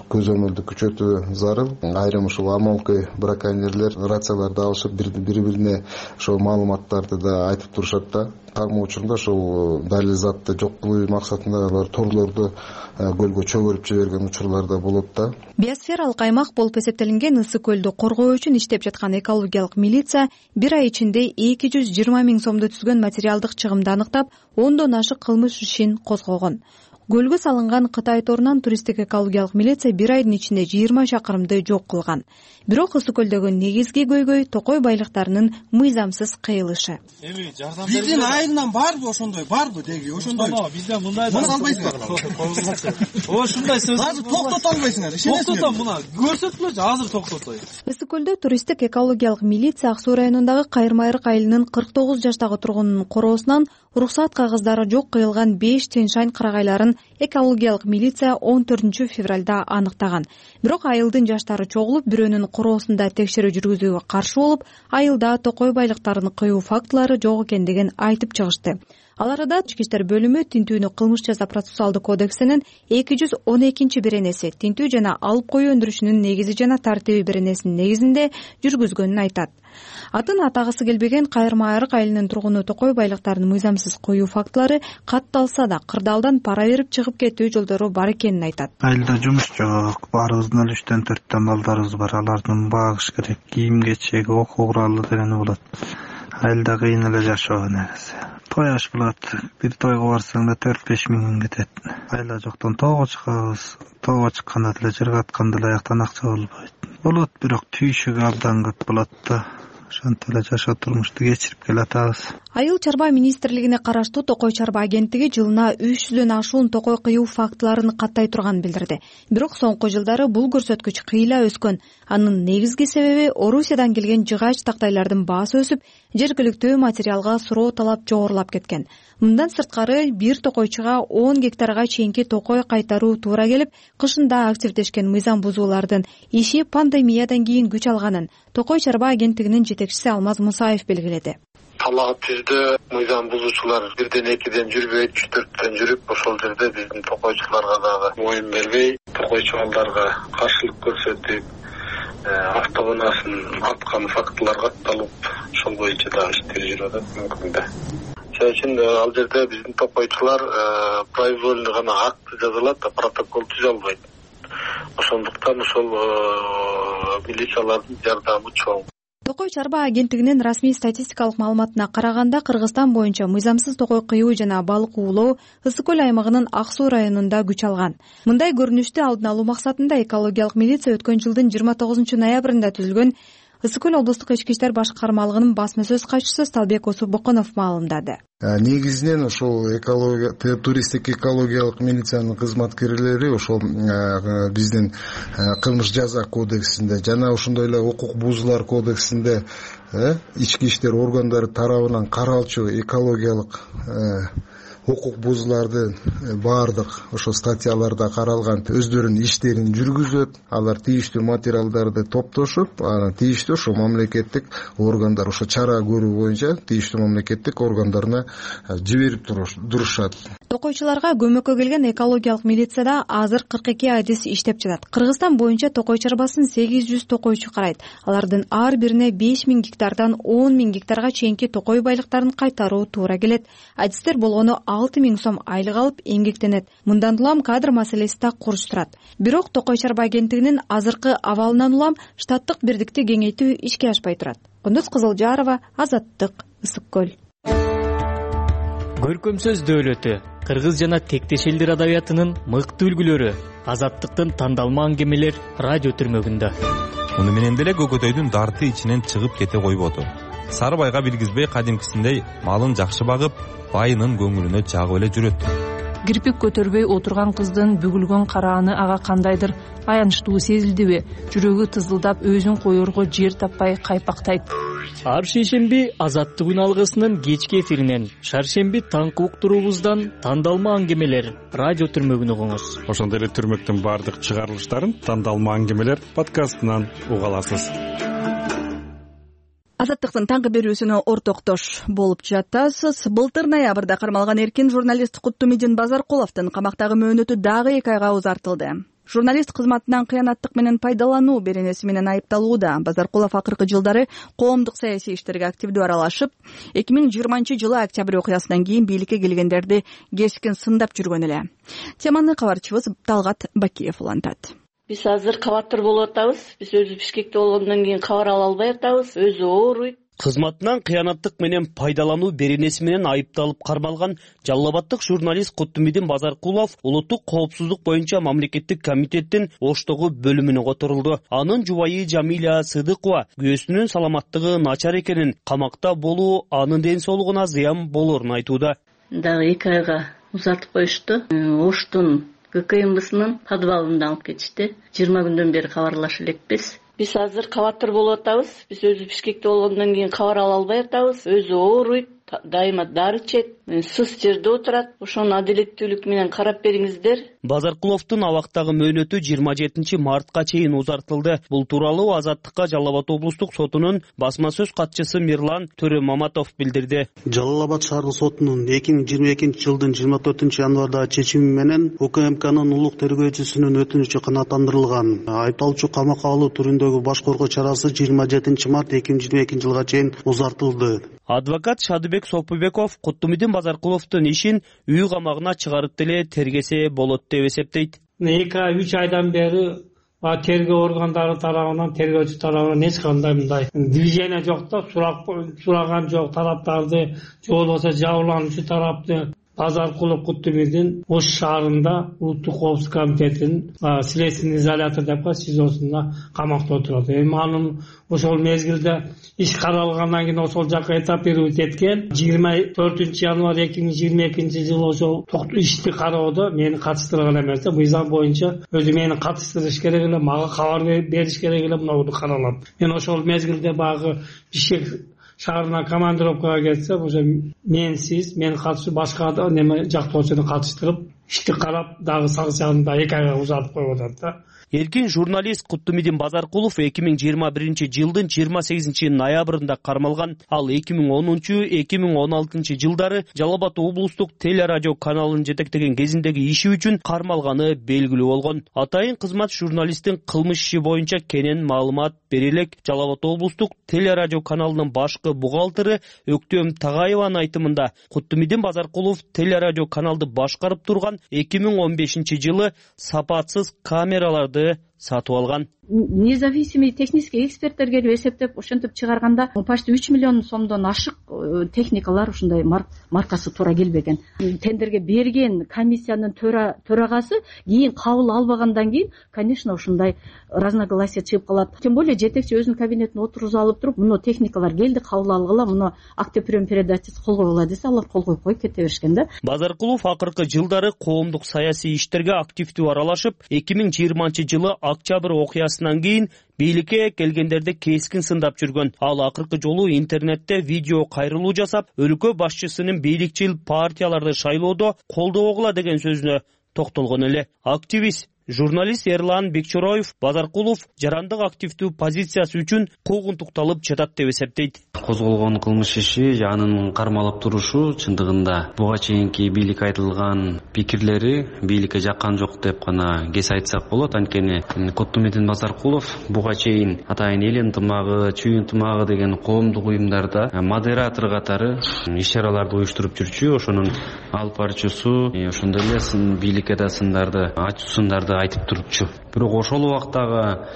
[SPEAKER 20] көзөмөлдү күчөтүү зарыл. Айрым ушул амалкы браконьерлер рацияларды алышып, бири-бирине ошо маалыматтарды да айтып турушат да. Кармоо учурунда ошол далил затты жок кылуу максатында алар торлорду көлгө чөгөрүп жиберген учурлар да болот да.
[SPEAKER 19] Биосфералык аймак болуп эсептелинген ысык көлдү коргоо үчүн иштеп жаткан экологиялык милиция бир ай ичинде 220 000 сомду түзгөн материалдык чыгымды аныктап, 10дон ашык кылмыш ишин козгогон. Көлгө салынган Кытай торунан туристтик экологиялык милиция 1 айдын ичинде 20 чакырымды жок кылган. Бирок Ысык көлдөгү негизги көйгөй токой байлыктарынын мыйзамсыз кыйылышы.
[SPEAKER 3] Биздин айылдан барбы ошондой, барбы деги, ошондой.
[SPEAKER 10] Бизден мындай
[SPEAKER 3] муну албайсыңар.
[SPEAKER 10] Ошундай сөз.
[SPEAKER 3] Азыр токтото албайсыңар.
[SPEAKER 10] Токтотом, муну көрсөтүлөчү, азыр токтотой.
[SPEAKER 19] Ысык көлдө туристтик экологиялык милиция Ак Суу районундагы Кайырмайрык айылынын 49 жаштагы тургунунун короосунан уруксат кагаздары жок кыйылган 5 Тянь-Шань кырагайларын экологиялык милиция 14 февралда аныктаган. Бирок айылдын жаштары чогулуп, бирөөнүн короосунда текшерүү жүргүзүүгө каршы болуп, айылда токой байлыктарын кыюу фактылары жок экендигин айтып чыгышты. Ал арада Ички иштер бөлүмү тинтүүнү кылмыш жаза процессуалдык кодексинин 212-беренеси тинтүү жана алып коюу өндүрүшүнүн негизи жана тартиби беренесинин негизинде жүргүзгөнүн айтат. Атын атагысы келбеген Кайырмайрык айылынын тургуну токой байлыктарын мыйзамсыз коюу фактылары катталса да кырдаалдан пара берип чыгып кетүү жолдору бар экенин айтат.
[SPEAKER 21] Айылда жумуш жок, баарыбыздын эле 3-4 балдарыбыз бар, алардын багыш керек, кийим кечеги, окуу куралы дегени болот. Айылда кыйын эле жашоо негизи. Той аш болот, бир тойго барсаң да 4-5 миң кетет. Айла жоктон тоого чыгабыз, тоого чыкканда деле жерге атканда деле аяктан акча болбойт. Болот, бирок түйшүгү абдан көп болот да. Ошентип эле жашоо турмушту кечирип келатабыз.
[SPEAKER 19] Айыл чарба министрлигине караштуу Токой чарба агенттиги жылына 300дөн ашуун токой кыюу фактыларын каттай турганын билдирди. Бирок соңку жылдары бул көрсөткүч кыйла өскөн. Анын негизги себеби Орусиядан келген жыгач тактайлардын баасы өсүп, жергиликтүү материалга суроо талап жогорулап кеткен. Мындан сырткары бир токойчуга 10 гектарга чейинки токой кайтаруу туура келип, кышында активдешкен мыйзам бузуулардын иши пандемиядан кийин күч алганын Токой чарба агенттигинин жетекчиси Алмаз Мусаев белгиледи.
[SPEAKER 22] Талаа түздө мыйзам бузуучулар 1-2 жүрбөйт, 3-4 жүрүп, ошол жерде биздин токойчуларга дагы моюн бербей, токойчу балдарга каршылык көрсөтүп, автоунаасын аткан фактылар катталып, ошол боюнча дагы иштер жүрүп атат мүмкүн да. Ошон үчүн ал жерде биздин токойчулар произвольный гана акт жазылат, протокол түзө албайт. Ошондуктан ошол милициялардын жардамы чоң.
[SPEAKER 19] Токой чарба агенттигинин расмий статистикалык маалыматына караганда Кыргызстан боюнча мыйзамсыз токой кыюу жана балык уулоо Ысык көл аймагынын Ак Суу районунда күч алган. Мындай көрүнүштү алдын алуу максатында экологиялык милиция өткөн жылдын 29 ноябрында түзүлгөн Ысык көл облустук ички иштер башкармалыгынын басма сөз катчысы Сталбек Осубоконов маалымдады.
[SPEAKER 20] Негизинен ошол туристтик экологиялык милициянын кызматкерлери ошол биздин кылмыш жаза кодексинде жана ошондой эле укук бузуулар кодексинде ички иштер органдары тарабынан каралчу экологиялык укук бузууларды баардык ошо статьяларда каралган өздөрүнүн иштерин жүргүзөт. Алар тийиштүү материалдарды топтошуп, анан тийиштүү ошо мамлекеттик органдар ошо чара көрүү боюнча тийиштүү мамлекеттик органдарына жиберип турушат.
[SPEAKER 19] Токойчуларга көмөккө келген экологиялык милицияда азыр 42 адис иштеп жатат. Кыргызстан боюнча токой чарбасын 800 токойчу карайт. Алардын ар бирине 5000 гектардан 10.000 гектарга чейинки токой байлыктарын кайтаруу туура келет. Адистер болгону 6000 сом айлык алып эмгектенет. Мындан улам кадр маселеси да курч турат. Бирок Токой чарба агенттигинин азыркы абалынан улам штаттык бирдикти кеңейтүү ишке ашпай турат. Кундуз Кызылжарова, Азаттык, Ысык көл.
[SPEAKER 6] Көркөм сөз дөөлөтү, кыргыз жана тектеш элдер адабиятынын мыкты үлгүлөрү, Азаттыктын тандалма аңгемелер радио түрмөгүндө.
[SPEAKER 23] Муну менен деле көкөтөйдүн дарты ичинен чыгып кете койбоду. Сары байга билгизбей кадимкисиндей малын жакшы багып, байынын көңүлүнө жагып эле жүрөт.
[SPEAKER 24] Кирпик көтөрбөй отурган кыздын бүгүлгөн карааны ага кандайдыр аянычтуу сезилдиби? Жүрөгү тызылдап өзүн коерго жер таппай кайпактайт.
[SPEAKER 6] Ар шейшемби Азаттык күн алгысынын кечки эфиринен, шаршемби таңкы уктуруубуздан тандалма аңгемелер радио түрмөгүн угуңуз.
[SPEAKER 25] Ошондой эле түрмөктүн баардык чыгарылыштарын тандалма аңгемелер подкастынан уга аласыз.
[SPEAKER 1] Азаттыктын таңкы берүүсүнө ортоктош болуп жатасыз. Былтыр ноябрда кармалган эркин журналист Куттумидин Базаркуловдун камактагы мөөнөтү дагы 2 айга узартылды. Журналист кызматынан кыянаттык менен пайдалануу беренеси менен айыпталууда. Базаркулов акыркы жылдары коомдук саясий иштерге активдүү аралашып, 2020-жылы октябрь окуясынан кийин бийликке келгендерди кескин сындап жүргөн эле. Теманы кабарчыбыз Талгат Бакиев улантат.
[SPEAKER 26] Биз азыр кабаттар болуп атабыз. Биз өзү Бишкекте болгондон кийин кабар ала албай атабыз. Өзү ооруйт.
[SPEAKER 2] Кызматынан кыянаттык менен пайдалануу беренеси менен айыпталып кармалган Жалал Абаддык журналист Куттумидин Базаркулов улуттук коопсуздук боюнча мамлекеттик комитеттин Оштогу бөлүмүнө которулду. Анын жубайы Жамиля Сыдыкова күйөөсүнүн саламаттыгы начар экенин, камакта болуу анын ден соолугуна зыян болорун айтууда.
[SPEAKER 4] Дагы 2 айга узартып коюшту. Оштун ГКМБсынын подвалында алып кетишти. 20 күндөн бери кабарлаша элекпиз. Биз азыр кабаттар болуп атабыз. Биз өзү Бишкекте болгондон кийин кабар ала албай атабыз. Өзү ооруйт, дайыма дары ичет, сыз жерде отурат. Ошону адилеттүүлүк менен карап бериңиздер.
[SPEAKER 2] Базаркуловдун абактагы мөөнөтү 27 мартка чейин узартылды. Бул тууралуу Азаттыкка Жалал Абад облустук сотунун басма сөз катчысы Мирлан Төрөмаматов билдирди.
[SPEAKER 5] Жалал Абад шаардык сотунун 2022 жылдын 24 январдагы чечими менен УКМКнын улук тергөөчүсүнүн өтүнүчү канааттандырылган. Айыпталуучу камакка алуу түрүндөгү баш коргоо чарасы 27 март 2022 жылга чейин узартылды.
[SPEAKER 2] Адвокат Шадыбек Сопубеков Куттумидин Базаркуловдун ишин үй камагына чыгарып деле тергесе болот деп эсептейт.
[SPEAKER 7] 2-3 айдан бери тергөө органдары тарабынан, тергөөчү тарабынан эч кандай мындай движение жок да, сураган жок тараптарды, же болбосо жабырлануучу тарапты. Базаркулов Куттумидин Ош шаарында улуттук коопсуздук комитетинин следственный изолятор деп СИЗОсунда камакта отурат. Эми анын ошол мезгилде иш каралгандан кийин ошол жака этапировать эткен. 24 январь 2022 жылы ошол ишти кароодо мени катыштырган эмес да, мыйзам боюнча өзү мени катыштырыш керек эле, мага кабар бериш керек эле, муну каралат. Мен ошол мезгилде багы Бишкек шаарына командировкага кетсе, ошо менсиз, мен катышып башка неме жактоочуну катыштырып, ишти карап, дагы санкцияны 2 айга узартып коюп атат да.
[SPEAKER 2] Эркин журналист Куттумидин Базаркулов 2021 жылдын 28 ноябрында кармалган. Ал 2010-2016 жылдары Жалал Абад облустук телерадио каналын жетектеген кезиндеги иши үчүн кармалганы белгилүү болгон. Атайын кызмат журналисттин кылмыш иши боюнча кенен маалымат бере элек. Жалал Абад облустук телерадио каналынын башкы бухгалтери Өктөм Тагаеванын айтымында Куттумидин Базаркулов телерадио каналды башкарып турган 2015 жылы сапатсыз камераларды сатып алган.
[SPEAKER 8] Независимый технический эксперттер келип эсептеп ошентип чыгарганда почти 3 миллион сомдон ашык техникалар ушундай маркасы туура келбеген. Тендерге берген комиссиянын төрагасы кийин кабыл албагандан кийин, конечно, ушундай разногласие чыгып калат. Тем более жетекчи өзүнүн кабинетине отургузуп алып туруп, муну техникалар келди, кабыл алгыла, муну актеприем передачасы кол койгула десе, алар кол коюп кете беришкен да.
[SPEAKER 2] Базаркулов акыркы жылдары коомдук саясий иштерге активдүү аралашып, 2020 жылы октябрь окуясынан кийин бийликке келгендерди кескин сындап жүргөн. Ал акыркы жолу интернетте видео кайрылуу жасап, өлкө башчысынын бийликчил партияларды шайлоодо колдобогула деген сөзүнө токтолгон эле. Активист журналист Эрлан Бекчороев Базаркулов жарандык активдүү позициясы үчүн куугунтукталып жатат деп эсептейт.
[SPEAKER 26] Козголгон кылмыш иши, анын кармалып турушу чындыгында буга чейинки бийлик айтылган пикирлери бийликке жаккан жок деп гана кес айтсак болот. Анткени Куттумидин Базаркулов буга чейин атайын эл ынтымагы, чүй ынтымагы деген коомдук уюмдарда модератор катары иш-чараларды уюштуруп жүрчү. Ошонун алып баруучусу, ошондой эле бийликке да сындарды, ачуусундарды айтып турчу. Бирок ошол убактагы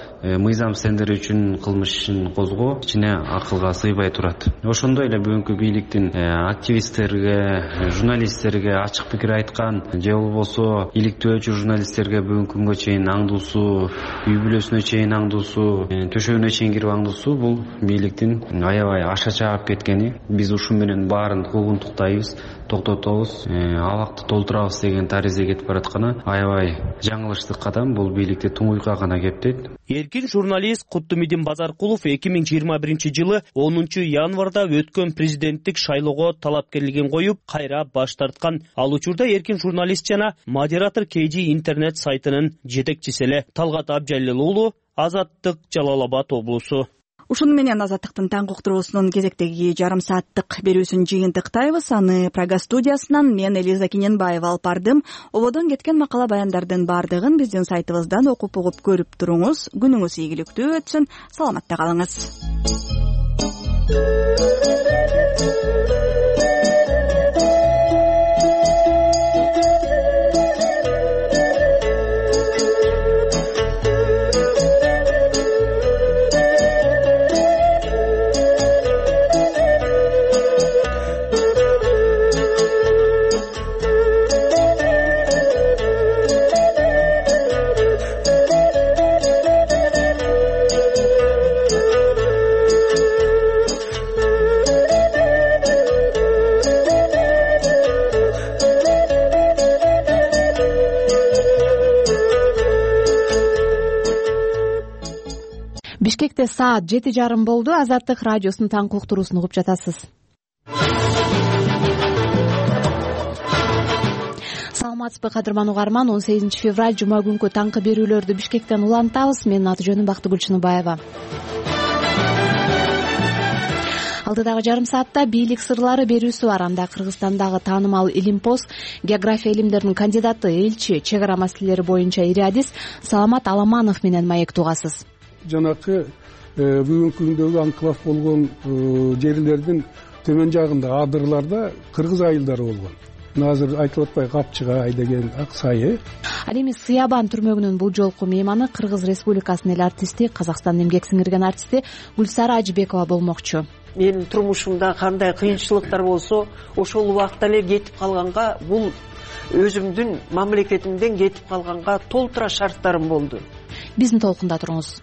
[SPEAKER 26] мыйзам стендери үчүн кылмыш ишин козгоо кичине акылга сыйбай турат. Ошондой эле бүгүнкү бийликтин активисттерге, журналисттерге ачык пикир айткан, же болбосо иликтөөчү журналисттерге бүгүнкү күнгө чейин аңдуусу, үй бүлөсүнө чейин аңдуусу, төшөгүнө чейин кирип аңдуусу бул бийликтин аябай аша чаап кеткени. Биз ушу менен баарын куугунтуктайбыз, токтотобуз, абакты толтурабыз деген таризге кетип баратканы аябай жаңылыштык кадам. Бул бийликте туңуйка гана кептейт.
[SPEAKER 2] Эркин журналист Куттумидин Базаркулов 2021 жылы 10 январда өткөн президенттик шайлоого талапкерлигин коюп, кайра баш тарткан. Ал учурда эркин журналист жана модератор KG интернет сайтынын жетекчиси эле. Талгат Абжалил уулу, Азаттык, Жалал Абад облусу.
[SPEAKER 1] Ушуну менен Азаттыктын таңкы уктуруусунун кезектеги жарым сааттык берүүсүн жыйынтыктайбыз. Аны Прага студиясынан мен Элиза Кененбаева алып бардым. Ободон кеткен макала баяндардын бардыгын биздин сайтыбыздан окуп угуп көрүп туруңуз. Күнүңүз ийгиликтүү өтсүн. Саламатта калыңыз.
[SPEAKER 9] Бишкекте саат 7:30 болду. Азаттык радиосунун таңкы уктуруусун угуп жатасыз. Саламатсызбы кадырман угарман, 18 февраль жума күнкү таңкы берүүлөрдү Бишкектен улантабыз. Менин аты жөнүм Бактыгүл Чыныбаева. Алдыдагы жарым саатта бийлик сырлары берүүсү бар. Анда Кыргызстандагы таанымал илимпоз, география илимдеринин кандидаты, элчи, чек ара маселелери боюнча ириадис Саламат Аламанов менен маек угасыз.
[SPEAKER 11] Жанакы бүгүнкү күндөгү анклав болгон жерлердин төмөн жагында адырларда кыргыз айылдары болгон. Азыр айтылып атпайбы, Капчыгай деген Ак Сай.
[SPEAKER 9] Ал эми Сыябан түрмөгүнүн бул жолку мейманы Кыргыз Республикасынын эл артисти, Казакстандын эмгек сиңирген артисти Гүлсара Ажыбекова болмокчу.
[SPEAKER 12] Менин турмушумда кандай кыйынчылыктар болсо, ошол убакта эле кетип калганга, бул өзүмдүн мамлекетимден кетип калганга толтура шарттарым болду.
[SPEAKER 9] Биздин толкунда туруңуз.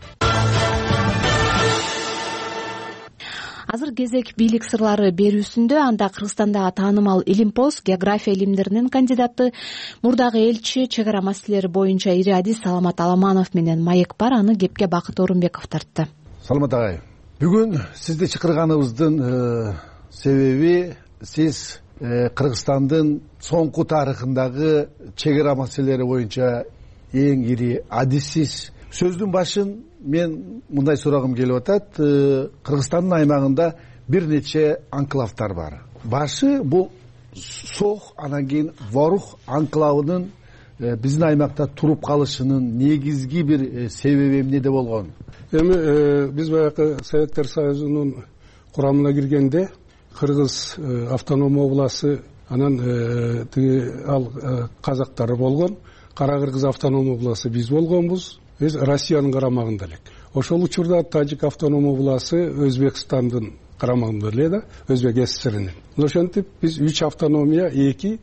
[SPEAKER 9] Азыр кезек бийлик сырлары берүүсүндө. Анда Кыргызстандагы таанымал илимпоз, география илимдеринин кандидаты, мурдагы элчи, чек ара маселелери боюнча ириадис Саламат Аламанов менен маек бар. Аны кепке Бакыт Орунбеков тартты.
[SPEAKER 14] Саламат агай, бүгүн сизди чакырганыбыздын себеби сиз Кыргызстандын соңку тарыхындагы чек ара маселелери боюнча эң ири адиссиз. Сөздүн башын мен мындай сурагым келип атат. Кыргызстандын аймагында бир нече анклавдар бар. Башы бул Сох, анан кийин Ворух анклавынын биздин аймакта туруп калышынын негизги бир себеби эмнеде болгон?
[SPEAKER 11] Эми биз баягы Советтер Союзунун курамына киргенде Кыргыз автоном обласы, анан ал казактар болгон. Кара Кыргыз автоном обласы биз болгонбуз. Биз Россиянын карамагында элек. Ошол учурда Тажик автоном обласы Өзбекстандын карамагында эле да, Өзбек ССРнин. Ошентип биз 3 автономия, 2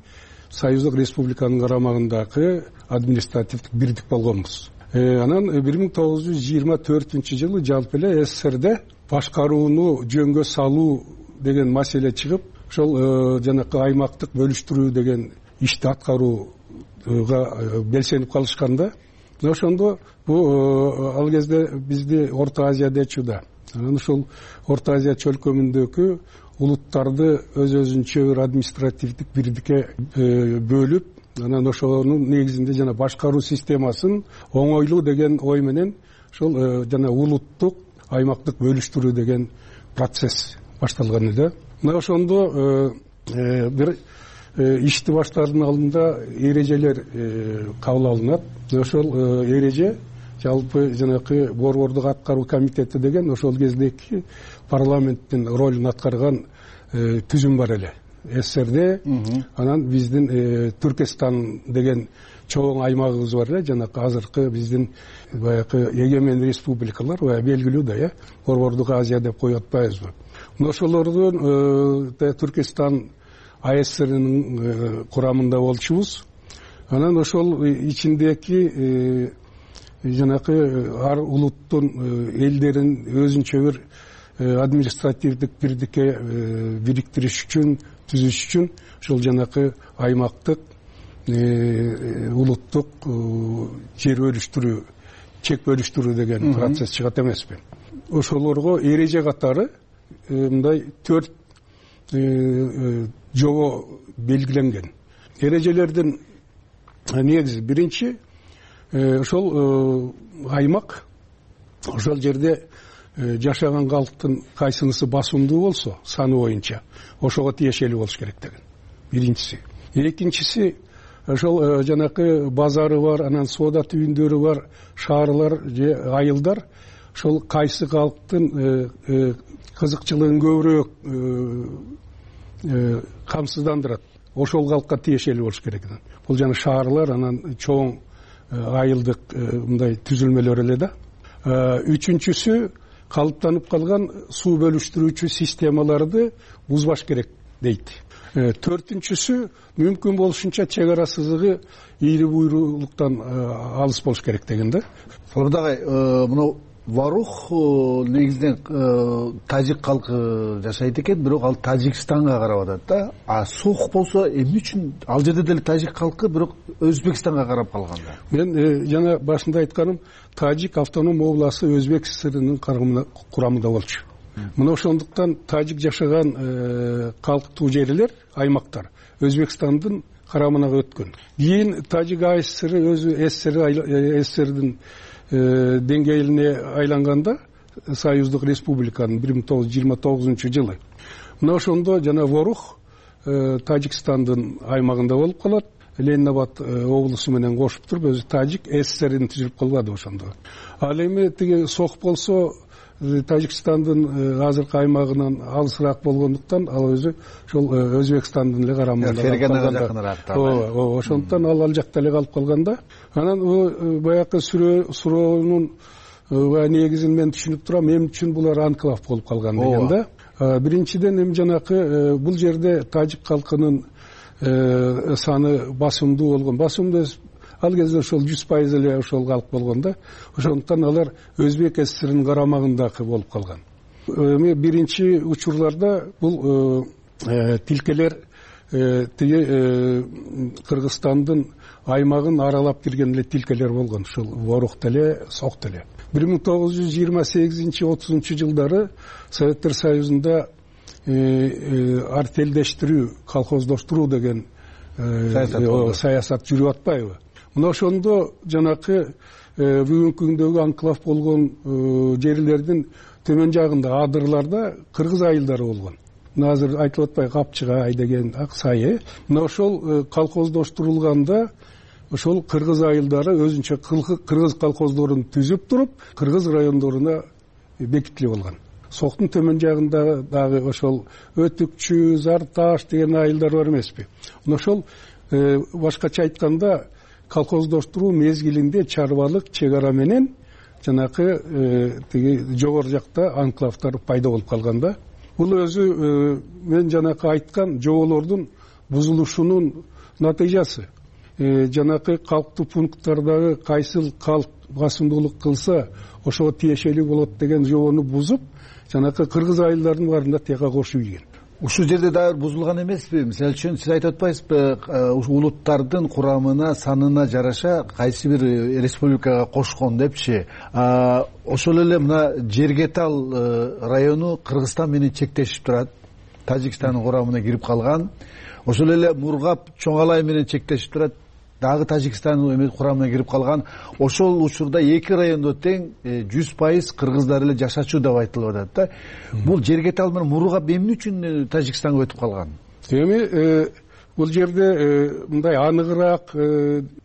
[SPEAKER 11] Союздук республиканын карамагындагы административдик бирдик болгонбуз. Анан 1924-жылы жалпы эле ССРде башкарууну жөнгө салуу деген маселе чыгып, ошол жанакы аймактык бөлүштүрүү деген ишти аткарууга белсенип калышканда, ошондо ал кезде бизди Орто Азияда чуда. Анан ошол Орто Азия чөлкөмүндөгү улуттарды өз-өзүнчө бир административдик бирдикке бөлүп, анан ошонун негизинде жана башкаруу системасын оңойлуу деген ой менен ошол жана улуттук аймактык бөлүштүрүү деген процесс башталган эле. Мына ошондо бир ишти баштаардын алдында эрежелер кабыл алынат. Ошол эреже жалпы жанакы борбордук аткаруу комитети деген ошол кездеги парламенттин ролун аткарган түзүм бар эле. ССРде, анан биздин Түркистан деген чоң аймагыбыз бар эле, жанакы азыркы биздин баягы эгемен республикалар, белгилүү да, борбордук Азия деп коюп атпайбызбы. Ошолордун Түркистан АСРнын курамында болчубуз. Анан ошол ичиндеги жанакы ар улуттун элдерин өзүнчө бир административдик бирдикке бириктириш үчүн, түзүш үчүн ошол жанакы аймактык улуттук жер бөлүштүрүү, чек бөлүштүрүү деген процесс чыгат эмеспи. Ошолорго эреже катары мындай 4 жобо белгиленген. Эрежелердин негизи биринчи, ошол аймак ошол жерде жашаган калктын кайсынысы басымдуу болсо саны боюнча ошого тиешелүү болуш керек деген. Биринчиси. Экинчиси, ошол жанакы базары бар, анан соода түйүндөрү бар шаарлар же айылдар ошол кайсы калктын кызыкчылыгын көбүрөөк камсыздандырат, ошол калкка тиешелүү болуш керек. Бул жана шаарлар, анан чоң айылдык мындай түзүлмөлөр эле да. Үчүнчүсү, калыптанып калган суу бөлүштүрүүчү системаларды бузбаш керек дейт. Төртүнчүсү, мүмкүн болушунча чек ара сызыгы ийри буйрулуктан алыс болуш керек деген да.
[SPEAKER 14] Саламат агай, мына ворух негизинен тажик калкы жашайт экен, бирок ал Тажикстанга карап атат да. А сух болсо эмне үчүн ал жерде деле тажик калкы, бирок Өзбекстанга карап калган да?
[SPEAKER 11] Мен жана башында айтканым, Тажик автоном областы Өзбек ССРнин курамында болчу. Мына ошондуктан тажик жашаган калктуу жерлер, аймактар Өзбекстандын карамына өткөн. Кийин Тажик АССР өзү ССРдин деңгээлине айланганда, Союздук Республиканын 1929-жылы. Мына ошондо жана ворух Тажикстандын аймагында болуп калат. Ленинабад облусу менен кошуп туруп, өзү Тажик ССРин түзүлүп калбады ошондо. Ал эми тиги сох болсо Тажикстандын азыркы аймагынан алысыраак болгондуктан ал өзү ошол Өзбекстандын эле карамында.
[SPEAKER 14] Ферганага жакыныраак.
[SPEAKER 11] Ооба, ошондуктан ал жакта эле калып калганда, анан баягы суроонун негизин мен түшүнүп турам, эмне үчүн булар анклав болуп калган деген да. Биринчиден эми жанакы бул жерде тажик калкынын саны басымдуу болгон. Басымдуу ал кезде ошол 100% эле ошол калк болгон да. Ошондуктан алар Өзбек ССРнин карамагындагы болуп калган. Эми биринчи учурларда бул тилкелер тиги Кыргызстандын аймагын аралап кирген эле тилкелер болгон. Ушул ворух деле, сок деле. 1928-30 жылдары Советтер Союзунда артелдештирүү, колхоздоштуруу деген саясат жүрүп атпайбы? Мына ошондо жанакы бүгүнкү күндөгү анклав болгон жерлердин төмөн жагында адырларда кыргыз айылдары болгон. Мына азыр айтылып атпайбы, Капчыгай деген Аксай. Мына ошол колхоздоштурулганда ошол кыргыз айылдары өзүнчө кыргыз колхоздорун түзүп туруп, кыргыз райондоруна бекитилип алган. Соктун төмөн жагында дагы ошол Өтүкчү, Зарташ деген айылдар бар эмеспи? Мына ошол башкача айтканда колхоздоштуруу мезгилинде чарбалык чек ара менен жанакы тиги жогору жакта анклавдар пайда болуп калган да. Бул өзү мен жанакы айткан жоболордун бузулушунун натыйжасы. Жанакы калктуу пункттардагы кайсыл калк басымдуулук кылса ошого тиешелүү болот деген жобону бузуп, жанакы кыргыз айылдардын баарында тияка кошуп ийген.
[SPEAKER 14] Ушул жерде дагы бузулган эмеспи? Мисалы үчүн сиз айтып атпайсызбы, улуттардын курамына, санына жараша кайсы бир республикага кошкон депчи. Ошол эле мына Жергетал району Кыргызстан менен чектешип турат. Тажикстандын курамына кирип калган. Ошол эле Мургап Чоңалай менен чектешип турат. Дагы Тажикстандын курамына кирип калган. Ошол учурда эки райондо тең 100% кыргыздар эле жашачу деп айтылып атат да. Бул Жергетал менен Мургап эмне үчүн Тажикстанга өтүп калган?
[SPEAKER 11] Эми бул жерде мындай аныгыраак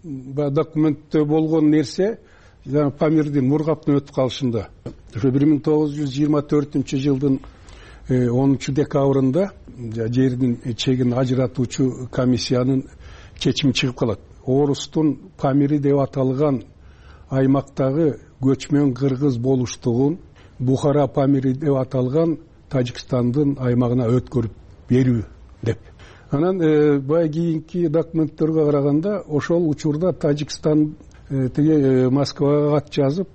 [SPEAKER 11] документте болгон нерсе жана Памирдин Мургаптын өтүп калышында. Ошо 1924-жылдын 10-декабрында жердин чегин ажыратуучу комиссиянын чечими чыгып калат. Орустун Памири деп аталган аймактагы көчмөн кыргыз болуштугун Бухара Памири деп аталган Тажикстандын аймагына өткөрүп берүү деп. Анан бай кийинки документтерге караганда ошол учурда Тажикстан тиги Москвага кат жазып,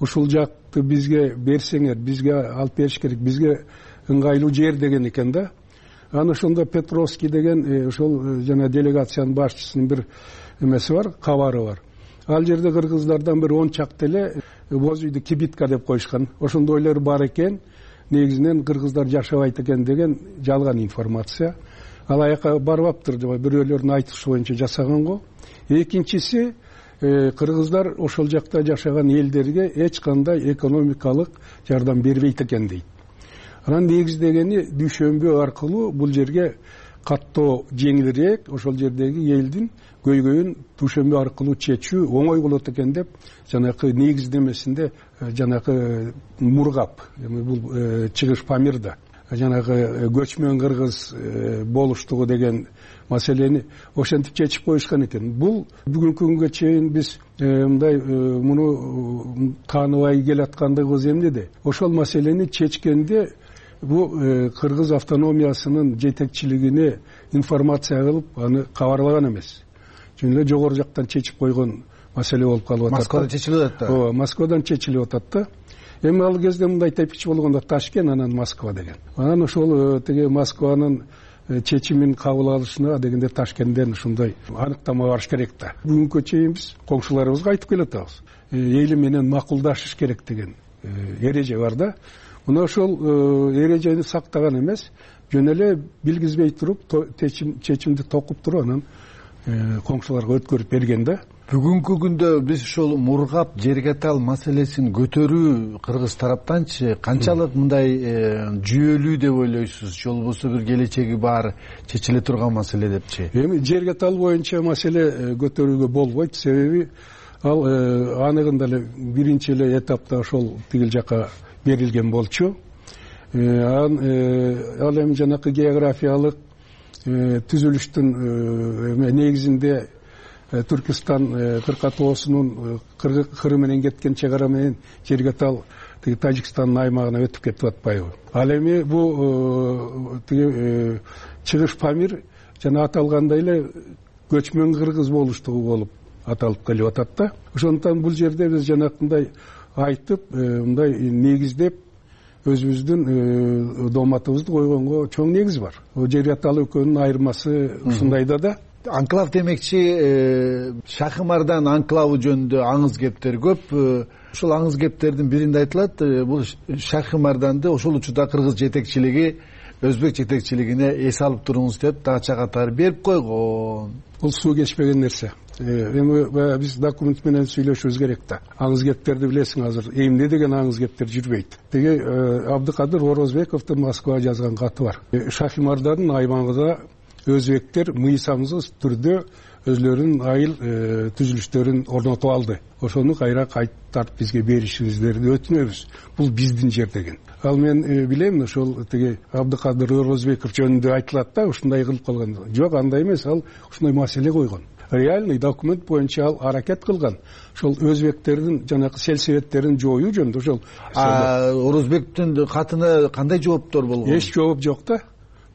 [SPEAKER 11] ушул жакты бизге берсеңер, бизге алып бериш керек, бизге ыңгайлуу жер деген экен да. Аны ошондо Петровский деген ошол жана делегациянын башчысынын бир эмеси бар, кабары бар. Ал жерде кыргыздардан бир 10 чакты эле боз үйдү кибитка деп коюшкан. Ошондойлор бар экен, негизинен кыргыздар жашабайт экен деген жалган информация. Ал аяка барбаптыр, бирөөлөрдүн айтышы боюнча жасаган го. Экинчиси, кыргыздар ошол жакта жашаган элдерге эч кандай экономикалык жардам бербейт экен дейт. Анан негиздегени Дүйшөмбү аркылуу бул жерге каттоо жеңилирээк, ошол жердеги элдин көйгөйүн Дүйшөмбү аркылуу чечүү оңой болот экен деп, жанакы негиздемесинде жанакы Мургап, бул чыгыш Памирда, жанагы көчмөн кыргыз болуштугу деген маселени ошентип чечип коюшкан экен. Бул бүгүнкү күнгө чейин биз мындай муну тааныбай келаткандыгыбыз эмнеде? Ошол маселени чечкенде бул кыргыз автономиясынын жетекчилигине информация кылып, аны кабарлаган эмес. Чын эле жогору жактан чечип койгон маселе болуп калып атат.
[SPEAKER 14] Москвадан чечилип атат да.
[SPEAKER 11] Ооба, Москвадан чечилип атат да. Эми ал кезде мындай тепкич болгондо Ташкент, анан Москва деген. Анан ошол тиги Москванын чечимин кабыл алышына дегенде Ташкенттен ушундай аныктама барыш керек да. Бүгүнкү чейин биз коңшуларыбызга айтып келатабыз. Эли менен макулдашыш керек деген эреже бар да. Мына ошол эрежени сактаган эмес, жөн эле билгизбей туруп чечимди токуп туруп анан коңшуларга өткөрүп берген да.
[SPEAKER 14] Бүгүнкү күндө биз ошол мургап жерге тал маселесин көтөрүү кыргыз тараптанчы канчалык мындай жүйөлүү деп ойлойсуз, же болбосо бир келечеги бар чечиле турган маселе депчи?
[SPEAKER 11] Эми жерге тал боюнча маселе көтөрүүгө болбойт, себеби ал аныгында эле биринчи эле этапта ошол тигил жака берилген болчу. Ал эми жанакы географиялык түзүлүштүн негизинде Түркистан кыркатоосунун кыры менен кеткен чек ара менен жерге тал тиги Тажикстандын аймагына өтүп кетип атпайбы? Ал эми бул тиги чыгыш Памир жана аталгандай эле көчмөн кыргыз болуштугу болуп аталып келип атат да. Ошондуктан бул жерде биз жанакындай айтып, мындай негиздеп өзүбүздүн дооматыбызды койгонго чоң негиз бар. Жерге тал экөөнүн айырмасы ушундайда да.
[SPEAKER 14] Анклав демекчи, Шахымардан анклавы жөнүндө аңыз кептер көп. Ошол аңыз кептердин биринде айтылат, бул Шахымарданды ошол учурда кыргыз жетекчилиги өзбек жетекчилигине эс алып туруңуз деп дача катары берип койгон.
[SPEAKER 11] Бул суу кечпеген нерсе. Эми биз документ менен сүйлөшүбүз керек да. Аңыз кептерди билесиң азыр. Эмне деген аңыз кептер жүрбөйт. Теги Абдыкадыр Орозбековдун Москвага жазган каты бар. Шахимардардын аймагында өзбектер мыйзамсыз түрдө өзлөрүнүн айыл түзүлүштөрүн орнотуп алды. Ошону кайра кайтарып бизге беришиңиздерди өтүнөбүз. Бул биздин жер деген. Ал мен билем, ошол тиги Абдыкадыр Орозбеков жөнүндө айтылат да, ушундай кылып калган. Жок, андай эмес, ал ушундай маселе койгон. Реальный документ боюнча ал аракет кылган. Ошол өзбектердин жанакы сельсоветтерин жоюу жөнүндө ошол.
[SPEAKER 14] Орозбектин катына кандай жооптор болгон?
[SPEAKER 11] Эч жооп жок да.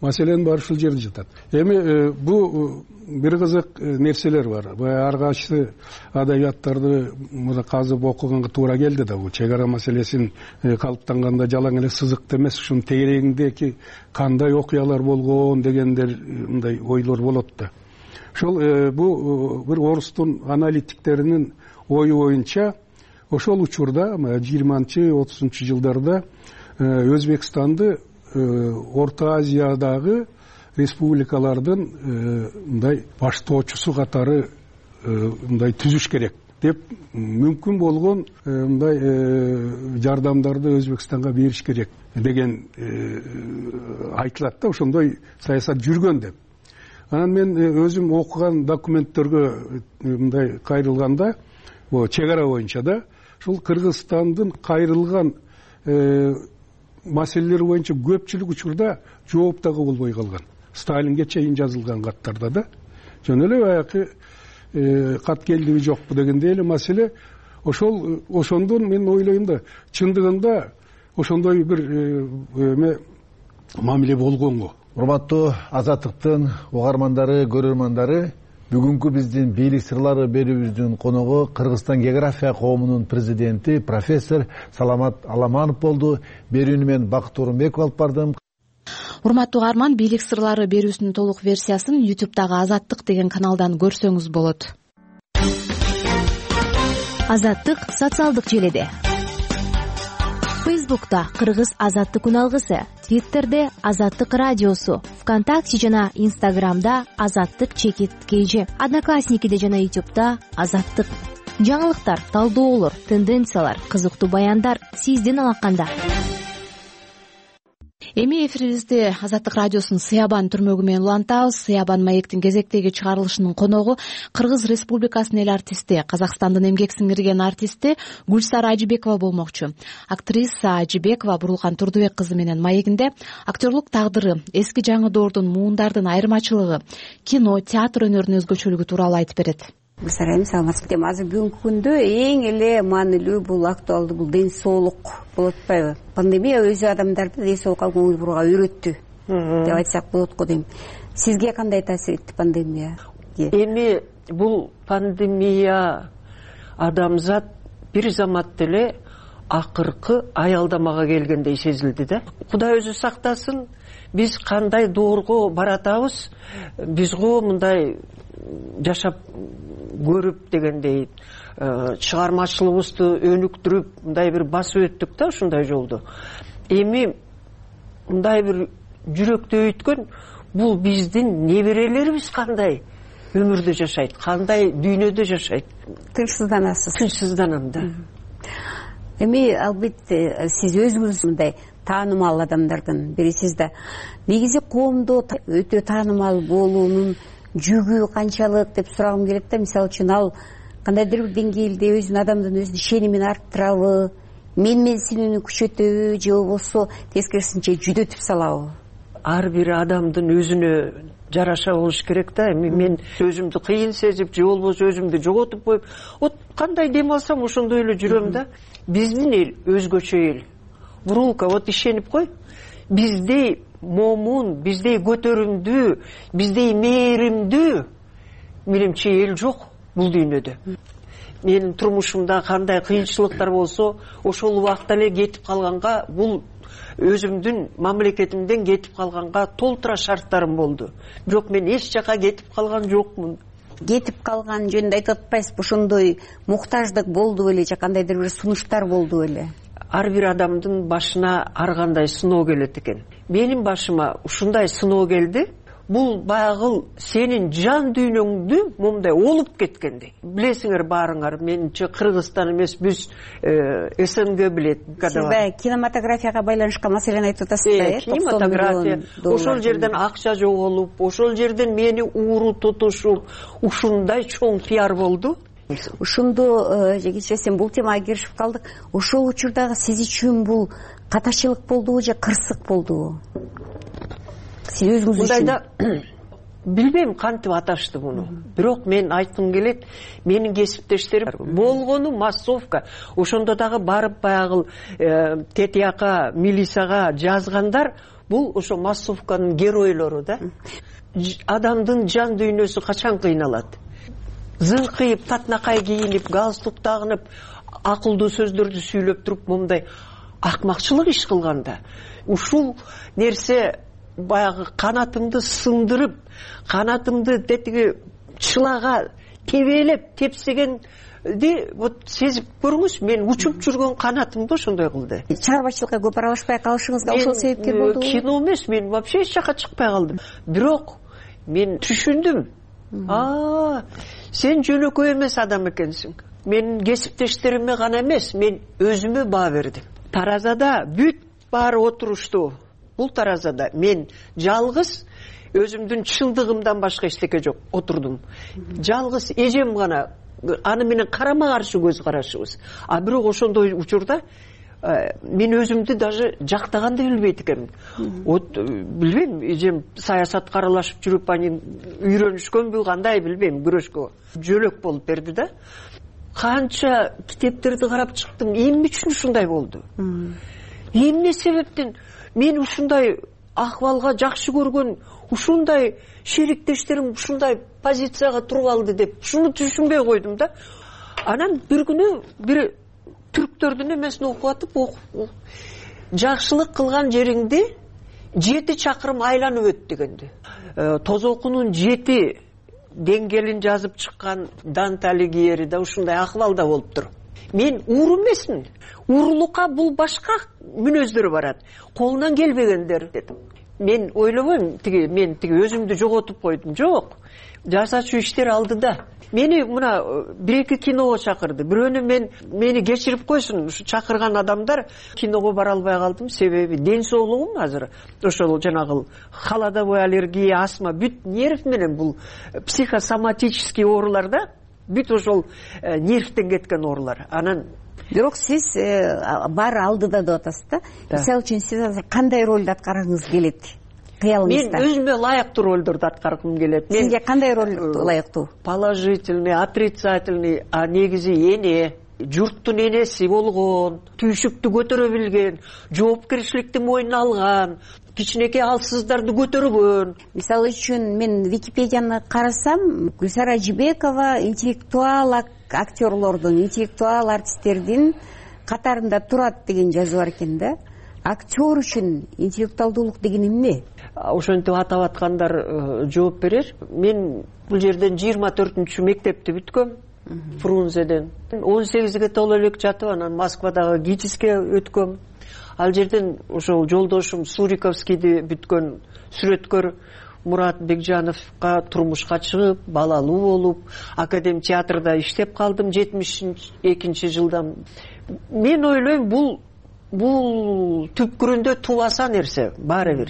[SPEAKER 11] Маселенин баары ушул жерде жатат. Эми бул бир кызык нерселер бар. Ар кайсы адабияттарды мына казып окуганга туура келди да. Бул чек ара маселесин калыптанганда жалаң эле сызыкты эмес, ушунун тегерегиндеги кандай окуялар болгон дегендер мындай ойлор болот да. Ошол бул бир орустун аналитиктеринин ою боюнча ошол учурда 20-30 жылдарда Өзбекстанды Орто Азиядагы республикалардын мындай баштоочусу катары мындай түзүш керек деп мүмкүн болгон мындай жардамдарды Өзбекстанга бериш керек деген айтылат да, ошондой саясат жүргөн деп. Анан мен өзүм окуган документтерге мындай кайрылганда, чек ара боюнча да, ушул Кыргызстандын кайрылган маселелер боюнча көпчүлүк учурда жооп дагы болбой калган. Сталинге чейин жазылган каттарда да. Жөн эле баягы кат келдиби жокпу дегендей эле маселе. Ошондон мен ойлойм да, чындыгында ошондой бир мамиле болгонго.
[SPEAKER 14] Урматтуу Азаттыктын угармандары, көрөрмандары, бүгүнкү биздин бийлик сырлары берүүбүздүн коногу Кыргызстан география коомунун президенти профессор Саламат Аламанов болду. Берүүнү мен Бакыт Орунбеков алып бардым.
[SPEAKER 9] Урматтуу угарман, бийлик сырлары берүүсүнүн толук версиясын YouTube'дагы Азаттык деген каналдан көрсөңүз болот. Азаттык социалдык желеде. Фейсбукта Кыргыз Азаттык үналгысы, Твиттерде Азаттык радиосу, ВКонтакте жана Инстаграмда Азаттык _KG, Одноклассникиде жана YouTube'да Азаттык. Жаңылыктар, талдоолор, тенденциялар, кызыктуу баяндар сиздин алаканда. Эми эфирибизди Азаттык радиосунун Сыябан түрмөгү менен улантабыз. Сыябан маектин кезектеги чыгарылышынын коногу Кыргыз Республикасынын эл артисти, Казакстандын эмгек сиңирген артисти Гүлсара Ажыбекова болмокчу. Актриса Ажыбекова Бурулкан Турдубек кызы менен маегинде актерлук тагдыры, эски жаңы доордун муундардын айырмачылыгы, кино, театр өнөрүнүн өзгөчөлүгү тууралуу айтып берет.
[SPEAKER 3] Гүлсара, саламатсызбы? Азыр бүгүнкү күндө эң эле маанилүү бул актуалдуу бул ден соолук болуп атпайбы? Пандемия өзү адамдарды ден соолукка көңүл бурууга үйрөттү деп айтсак болот го дейм. Сизге кандай таасир этти пандемия?
[SPEAKER 12] Эми бул пандемия адамзат бир замат эле акыркы аялдамага келгендей сезилди да. Кудай өзү сактасын, биз кандай доорго баратабыз, биз го мындай жашап көрүп дегендей чыгармачылыгыбызды өнүктүрүп мындай бир басып өттүк да ушундай жолду. Эми мындай бир жүрөктө өткөн бул биздин неберелерибиз кандай өмүрдө жашайт, кандай дүйнөдө жашайт.
[SPEAKER 3] Тынчсызданасыз.
[SPEAKER 12] Тынчсызданам да.
[SPEAKER 3] Эми албетте сиз өзүңүз мындай таанымал адамдардын бирисиз да. Негизи коомдо өтө таанымал болуунун жүгү канчалык деп сурагым келет да. Мисалы үчүн ал кандайдыр бир деңгээлде өзүнүн адамдын өзүнүн ишенимин арттырабы, менменсинүүнү күчөтөбү же болбосо тескерисинче жүдөтүп салабы?
[SPEAKER 12] Ар бир адамдын өзүнө жараша болуш керек да. Эми мен өзүмдү кыйын сезип же болбосо өзүмдү жоготуп коюп, вот кандай дем алсам ошондой эле жүрөм да. Биздин эл өзгөчө эл. Бурулка, вот ишенип кой. Биздей момун, биздей көтөрүмдүү, биздей мээримдүү менимче эл жок бул дүйнөдө. Менин турмушумда кандай кыйынчылыктар болсо, ошол убакта эле кетип калганга, бул өзүмдүн мамлекетимден кетип калганга толтура шарттарым болду. Бирок мен эч жака кетип калган жокмун.
[SPEAKER 3] Кетип калган жөнүндө айтып атпайсызбы? Ошондой муктаждык болду беле же кандайдыр бир сунуштар болду беле?
[SPEAKER 12] Ар бир адамдын башына ар кандай сыноо келет экен. Менин башыма ушундай сыноо келди. Бул баягы сенин жан дүйнөңдү момундай олуп кеткендей. Билесиңер баарыңар, менче Кыргызстан эмес, биз СНГ билет.
[SPEAKER 3] Сиз кинематографияга байланышкан маселени айтып атасыз да?
[SPEAKER 12] Кинематография. Ошол жерден акча жоголуп, ошол жерден мени ууру тутушуп, ушундай чоң пиар болду.
[SPEAKER 3] Ушунду кечиресиң, бул темага киришип калдык. Ошол учурдагы сиз үчүн бул катачылык болдубу же кырсык болдубу? Сиз өзүңүз үчүн?
[SPEAKER 12] Билбейм кантип аташты муну. Бирок мен айткым келет, менин кесиптештерим болгону массовка. Ошондо дагы барып баягы ТТАК, милицияга жазгандар, бул ошо массовканын геройлору да. Адамдын жан дүйнөсү качан кыйналат? Зыңкыйып, татнакай кийинип, галстук тагынып, акылдуу сөздөрдү сүйлөп туруп, момундай акмакчылык иш кылганда, ушул нерсе баягы канатымды сындырып, канатымды тетиги чылага тебелеп, тепсегенди вот сезип көрүңүз, мен учуп жүргөн канатымды ошондой кылды.
[SPEAKER 3] Чыгармачылыкка көп аралашпай калышыңызга ошол себепкер болдубу?
[SPEAKER 12] Кино эмес, мен вообще эч жака чыкпай калдым. Бирок мен түшүндүм. Сен жөнөкөй эмес адам экенсиң. Менин кесиптештериме гана эмес, мен өзүмө баа бердим. Таразада бүт баары отурушту. Бул таразада мен жалгыз өзүмдүн чындыгымдан башка эчтеке жок отурдум. Жалгыз эжем гана, аны менен карама каршы көз карашыбыз. А бирок ошондой учурда мен өзүмдү даже жактаганды билбейт экенмин. Вот билбейм, эжем саясатка аралашып жүрүп, анын үйрөнүшкөнбү, кандай билбейм, күрөшкө жөлөк болуп берди да. Канча китептерди карап чыктым, эмне үчүн ушундай болду? Эмне себептен мен ушундай акыбалга жакшы көргөн, ушундай шериктештерим ушундай позицияга туруп алды деп, ушуну түшүнбөй койдум да. Анан бир күнү бир түрктөрдүн эмесин окуп атып, жакшылык кылган жериңди 7 чакырым айланып өт дегенди. Тозокунун 7 деңгээлин жазып чыккан Данте Алигьери да ушундай акыбалда болуптур. Мен уур эмесмин. Уурулукка бул башка мүнөздөрү барат. Колунан келбегендер дедим. Мен ойлобойм, мен өзүмдү жоготуп койдум. Жок. Жасачу иштер алдыда. Мени мына 1-2 киного чакырды. Бирөөнү мени кечирип койсун, ушу чакырган адамдар, киного бара албай калдым. Себеби ден соолугум азыр ошол жанагы холодовой аллергия, астма, бүт нерв менен бул психосоматический оорулар да, бүт ошол нервтен кеткен оорулар. Анан
[SPEAKER 3] бирок сиз баары алдыда деп атасыз да. Мисалы үчүн сиз азыр кандай ролду аткаргыңыз келет?
[SPEAKER 12] Мен өзүмө ылайыктуу ролдорду аткаргым келет.
[SPEAKER 3] Сизге кандай роль ылайыктуу?
[SPEAKER 12] Положительный, отрицательный, а негизи эне, журттун энеси болгон, түйшүктү көтөрө билген, жоопкерчиликти мойнуна алган, кичинекей алсыздарды көтөргөн.
[SPEAKER 3] Мисалы үчүн мен Википедияны карасам, Гүлсара Жибекова интеллектуал актерлордун, интеллектуал артисттердин катарында турат деген жазуу бар экен да. Актер үчүн интеллектуалдуулук деген эмне?
[SPEAKER 12] Ошентип атап аткандар жооп берер. Мен бул жерден 24 мектепти бүткөм. Фрунзеден 18-ге толо элек жатып, анан Москвадагы ГИТИСке өткөм. Ал жерден ошол жолдошум Суриковскийди бүткөн сүрөткөр Мурат Бекжановго турмушка чыгып, балалуу болуп, Академ театрда иштеп калдым 72-жылдан. Мен ойлойм, бул түпкүрүндө тубаса нерсе, баары бир.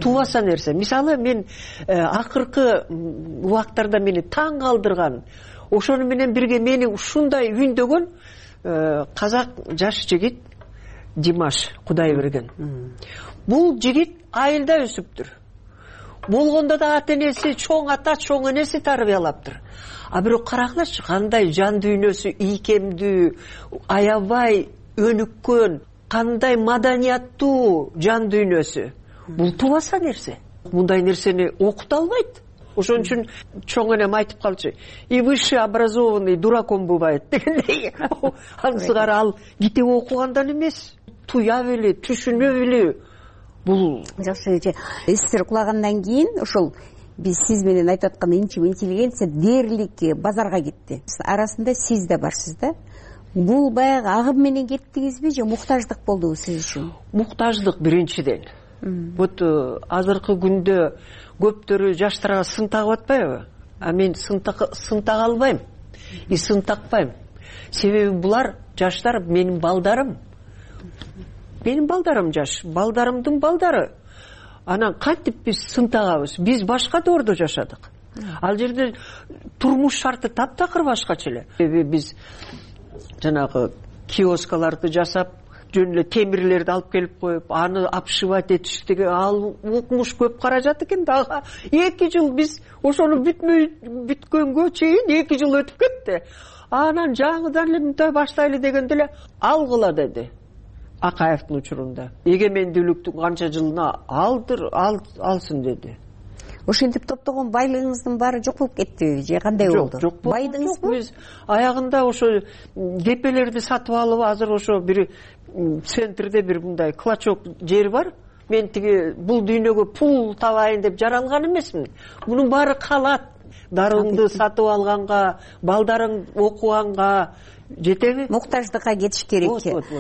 [SPEAKER 12] Тубаса нерсе. Мисалы, мен акыркы убактарда мени таң калтырган, ошону менен бирге мени ушундай үйүндөгөн казак жаш жигит Димаш Кудайберген. Бул жигит айылда өсүптүр. Болгондо да ата энеси, чоң ата, чоң энеси тарбиялаптыр. А бирок карагылачы, кандай жан дүйнөсү ийкемдүү, аябай өнүккөн, кандай маданияттуу жан дүйнөсү. Бул тубаса нерсе. Мындай нерсени окута албайт. Ошон үчүн чоң энем айтып калчу, и высший образованный дураком бывает дегендей. Ансыгар ал китеп окугандан эмес, туя билүү, түшүнө билүү. Бул
[SPEAKER 3] жакшы. Сиздер кулагандан кийин ошол биз сиз менен айтып аткан интеллигенция дээрлик базарга кетти. Арасында сиз да барсыз да. Бул баягы агым менен кеттиңизби же муктаждык болдубу сиз үчүн?
[SPEAKER 12] Муктаждык биринчиден. Вот азыркы күндө көптөрү жаштарга сын тагып атпайбы? А мен сын тага албайм. И сын такпайм. Себеби булар жаштар менин балдарым. Менин балдарым жаш, балдарымдын балдары. Анан кантип биз сын тагабыз? Биз башка доордо жашадык. Ал жерде турмуш шарты таптакыр башкача эле. Биз жанагы киоскаларды жасап, жөн эле темирлерди алып келип коюп, аны обшивать этиштиги, ал укмуш көп каражат экен дагы. 2 жыл биз ошону бүткөнгө чейин 2 жыл өтүп кетти. Анан жаңыдан эле мындай баштайлы дегенде эле алгыла деди. Акаевдин учурунда. Эгемендүүлүктүн канча жылына алсын деди.
[SPEAKER 3] Ошентип топтогон байлыгыңыздын баары жок болуп кеттиби же кандай болду?
[SPEAKER 12] Жок.
[SPEAKER 3] Байдыңызбы?
[SPEAKER 12] Биз аягында ошо кепелерди сатып алып, азыр ошо бир центрде бир мындай клочок жер бар. Мен тиги бул дүйнөгө пул табайын деп жаралган эмесмин. Мунун баары калат. Дарыңды сатып алганга, балдарың окуганга жетеби?
[SPEAKER 3] Муктаждыкка кетиш керек.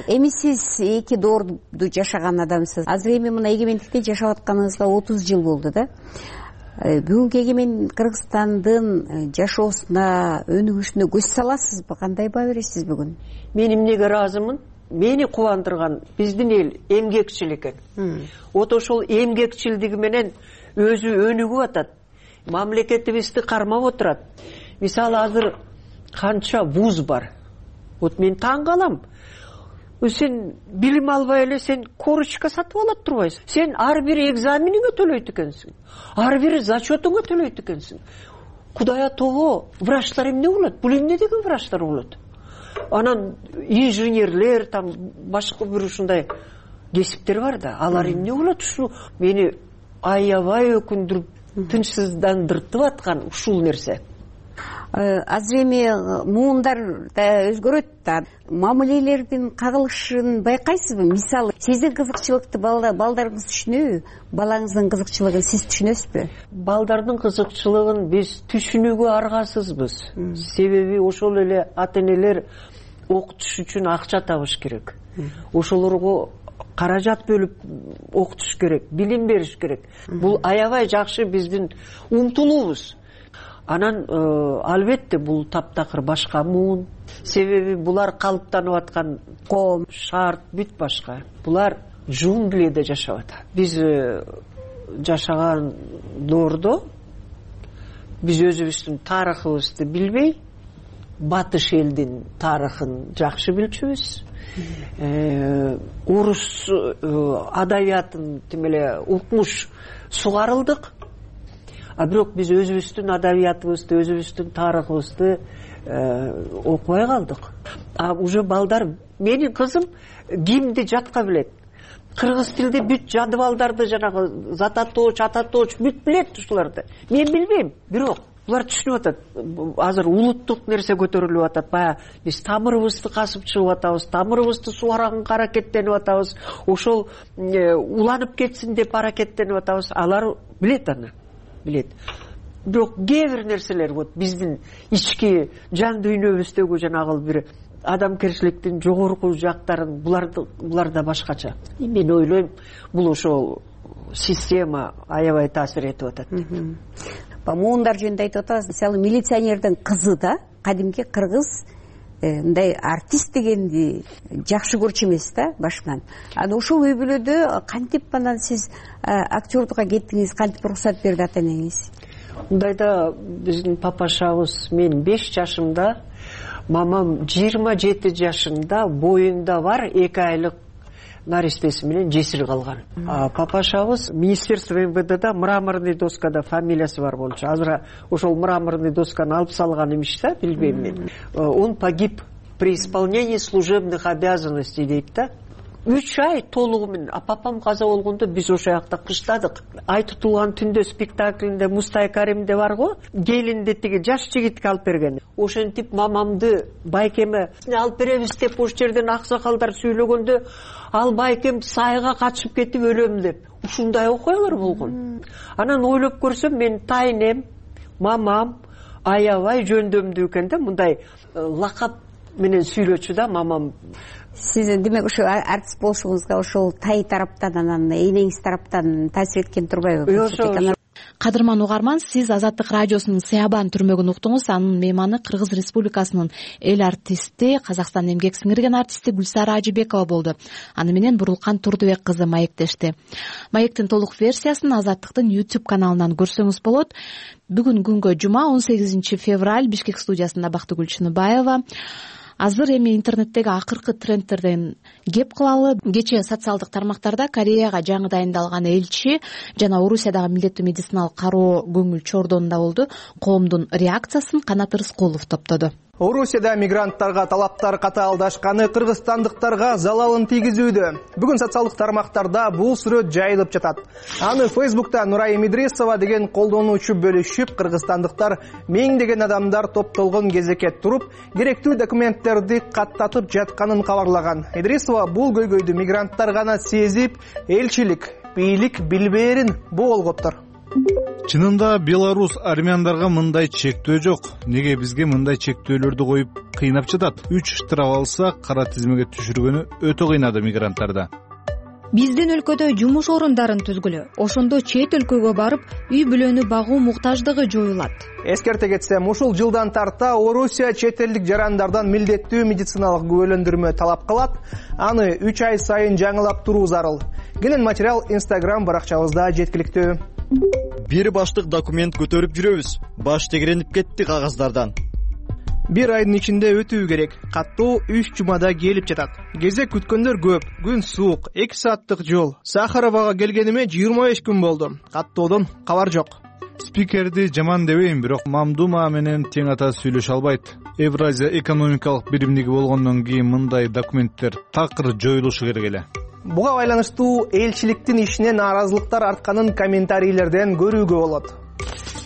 [SPEAKER 3] Эми сиз 2 доорду жашаган адамсыз. Азыр эми мына эгемендикте жашап атканыңызга 30 жыл болду да. Бүгүнкү эгемен Кыргызстандын жашоосуна, өнүгүшүнө көз саласызбы? Кандай баа бересиз бүгүн?
[SPEAKER 12] Мен эмнеге ыраазымын? Мени кубандырган биздин эл эмгекчил экен. Вот ошол эмгекчилдиги менен өзү өнүгүп атат. Мамлекетибизди кармап отурат. Мисалы азыр канча вуз бар. Вот мен таң калам. Сен билим албай эле сен корочка сатып алат турбайсың. Сен ар бир экзамениңе төлөйт экенсиң. Ар бир зачетуңа төлөйт экенсиң. Кудай атого, врачтар эмне болот? Бул эмне деген врачтар болот? Анан инженерлер, там башка бир ушундай кесиптер бар да. Алар эмне болот? Ушу мени аябай өкүндүрүп, тынчсыздандыртып аткан ушул нерсе.
[SPEAKER 3] Азыр эми муундар да өзгөрөт да. Мамилелердин кагылышын байкайсызбы? Мисалы, сиздин кызыкчылыкты балдарыңыз түшүнөбү? Балаңыздын кызыкчылыгын сиз түшүнөсүзбү?
[SPEAKER 12] Балдардын кызыкчылыгын биз түшүнүүгө аргасызбыз. Себеби ошол эле ата-энелер окутуш үчүн акча табыш керек. Ошолорго каражат бөлүп окутуш керек, билим бериш керек. Бул аябай жакшы биздин умтулуубуз. Анан албетте бул таптакыр башка муун. Себеби булар калыптанып аткан коом, шарт бүт башка. Булар джунглиде жашап атат. Биз жашаган доордо биз өзүбүздүн тарыхыбызды билбей, батыш элдин тарыхын жакшы билчүбүз. Орус адабиятын тим эле укмуш сугарылдык. А бирок биз өзүбүздүн адабиятыбызды, өзүбүздүн тарыхыбызды окубай калдык. А уже балдар, менин кызым гимнди жатка билет. Кыргыз тилде бүт жадыбалдарды жанагы зататоч, ататоч бүт билет ушуларды. Мен билбейм, бирок булар түшүнүп атат. Азыр улуттук нерсе көтөрүлүп атат. Баягы биз тамырыбызды касып чыгып атабыз, тамырыбызды сугаранга аракеттенип атабыз. Ошол уланып кетсин деп аракеттенип атабыз. Алар билет аны. Билет. Бирок кээ бир нерселер вот биздин ички жан дүйнөбүздөгү жанагы бир адамгерчиликтин жогорку жактарын буларда башкача. Мен ойлойм, бул ошол система аябай таасир этип атат.
[SPEAKER 3] Муундар жөнүндө айтып атабыз. Мисалы, милиционердин кызы да кадимки кыргыз мындай артист дегенди жакшы көрчү эмес да башынан. Анан ошол үй бүлөдө кантип анан сиз актерлукка кеттиңиз, кантип уруксат берди ата энеңиз?
[SPEAKER 12] Мындайда биздин папашабыз мен 5 жашымда, мамам 27 жашында боюнда бар 2 айлык наристеси менен жесир калган. Папашабыз Министерство МВДда мраморный доскада фамилиясы бар болчу. Азыр ошол мраморный досканы алып салган имиш да, билбейм мен. Он погиб при исполнении служебных обязанностей дейт да. 3 ай толугу менен. Папам каза болгондо биз ошол жакта кыштадык. Ай тутулган түндө спектаклинде Мустай Каримде бар го, келинди тиги жаш жигитке алып берген. Ошентип мамамды байкеме алып беребиз деп ош жерден аксакалдар сүйлөгөндө, ал байкем сайга качып кетип өлөм деп. Ушундай окуялар болгон. Анан ойлоп көрсөм, мен тайнем, мамам аябай жөндөмдүү экен да, мындай лакап менен сүйлөчү да мамам.
[SPEAKER 3] Сиз демек ошо артист болушуңузга ошол тай тараптан, анан энеңиз тараптан таасир эткен турбайбы?
[SPEAKER 9] Кадырман угарман, сиз Азаттык радиосунун Сыябан түрмөгүн уктуңуз. Анын мейманы Кыргыз Республикасынын эл артисти, Казакстан эмгек сиңирген артисти Гүлсара Ажыбекова болду. Аны менен Бурулкан Турдубек кызы маектешти. Маектин толук версиясын Азаттыктын YouTube каналынан көрсөңүз болот. Бүгүн күнгө жума 18 февраль Бишкек студиясында Бактыгүл Чыныбаева. Азыр эми интернеттеги акыркы трендтерден кеп кылалы. Кечээ социалдык тармактарда Кореяга жаңы дайындалган элчи жана Орусиядагы милдеттүү медициналык кароо көңүл чордонунда болду. Коомдун реакциясын Канат Рыскулов топтоду.
[SPEAKER 10] Орусияда мигранттарга талаптар катаалдашканы кыргызстандыктарга залалын тийгизүүдө. Бүгүн социалдык тармактарда бул сүрөт жайылып жатат. Аны Facebook'та Нурайым Идрисова деген колдонуучу бөлүшүп, кыргызстандыктар миңдеген адамдар топтолгон кезекке туруп, керектүү документтерди каттатып жатканын кабарлаган. Идрисова бул көйгөйдү мигранттар гана сезип, элчилик, бийлик билбээрин болгоптор.
[SPEAKER 13] Чынында Беларус армяндарга мындай чектөө жок. Неге бизге мындай чектөөлөрдү коюп кыйнап жатат? 3 штраф алса, кара тизмеге түшүргөнү өтө кыйнады мигранттарда.
[SPEAKER 19] Биздин өлкөдө жумуш орундарын түзгүлө, ошондо чет өлкөгө барып, үй бүлөнү багуу муктаждыгы жоюлат.
[SPEAKER 10] Эскерте кетсем, ушул жылдан тарта Орусия чет элдик жарандардан милдеттүү медициналык күбөлөндүрмө талап кылат. Аны 3 ай сайын жаңылап туруу зарыл. Кенен материал Instagram баракчабызда жеткиликтүү.
[SPEAKER 15] Бир баштык документ көтөрүп жүрөбүз. Баш тегеренип кетти кагаздардан.
[SPEAKER 10] Бир айдын ичинде өтүү керек. Каттоо 3 жумада келип жатат. Кезек күткөндөр көп. Күн суук, 2 сааттык жол. Сахаровага келгениме 25 күн болду. Каттоодон кабар жок.
[SPEAKER 13] Спикерди жаман дебейм, бирок Мамдума менен тең ата сүйлөшө албайт. Евразия экономикалык биримдиги болгондон кийин мындай документтер такыр жоюлушу керек эле.
[SPEAKER 10] Буга байланыштуу элчиликтин ишине нааразылыктар артканын комментарийлерден көрүүгө болот.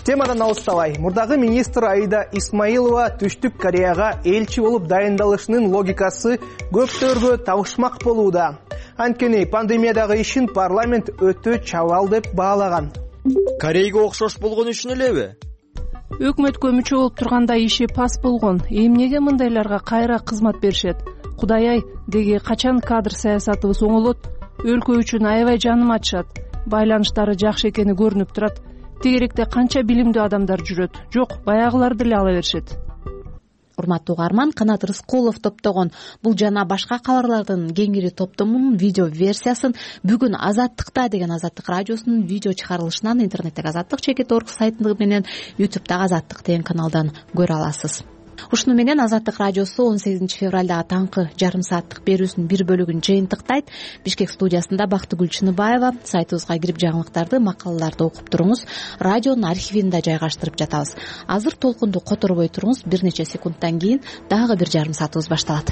[SPEAKER 10] Темадан алыстабай, мурдагы министр Аида Исмаилова Түштүк Кореяга элчи болуп дайындалышынын логикасы көптөргө табышмак болууда. Анткени пандемиядагы ишин парламент өтө чабал деп баалаган.
[SPEAKER 15] Корейге окшош болгон үчүн элеби?
[SPEAKER 24] Өкмөткө мүчө болуп турганда иши пас болгон. Эмнеге мындайларга кайра кызмат беришет? Кудай-ай, деги качан кадр саясатыбыз оңолот? Өлкө үчүн аябай жаным ачышат. Байланыштары жакшы экени көрүнүп турат. Тегеректе канча билимдүү адамдар жүрөт. Жок, баягылар деле ала беришет.
[SPEAKER 9] Урматтуу угарман, Канат Рыскулов топтогон бул жана башка кабарлардын кеңири топтомунун видео версиясын бүгүн Азаттыкта деген Азаттык радиосунун видео чыгарылышынан интернеттеги azattik.org сайтындыгы менен YouTube'дагы Азаттык деген каналдан көрө аласыз. Ушуну менен Азаттык радиосу 18 февралдагы таңкы жарым сааттык берүүсүнүн бир бөлүгүн жыйынтыктайт. Бишкек студиясында Бактыгүл Чыныбаева. Сайтыбызга кирип жаңылыктарды, макалаларды окуп туруңуз. Радионун архивинде жайгаштырып жатабыз. Азыр толкунду которбой туруңуз. Бир нече секундтан кийин дагы бир жарым саатыбыз башталат.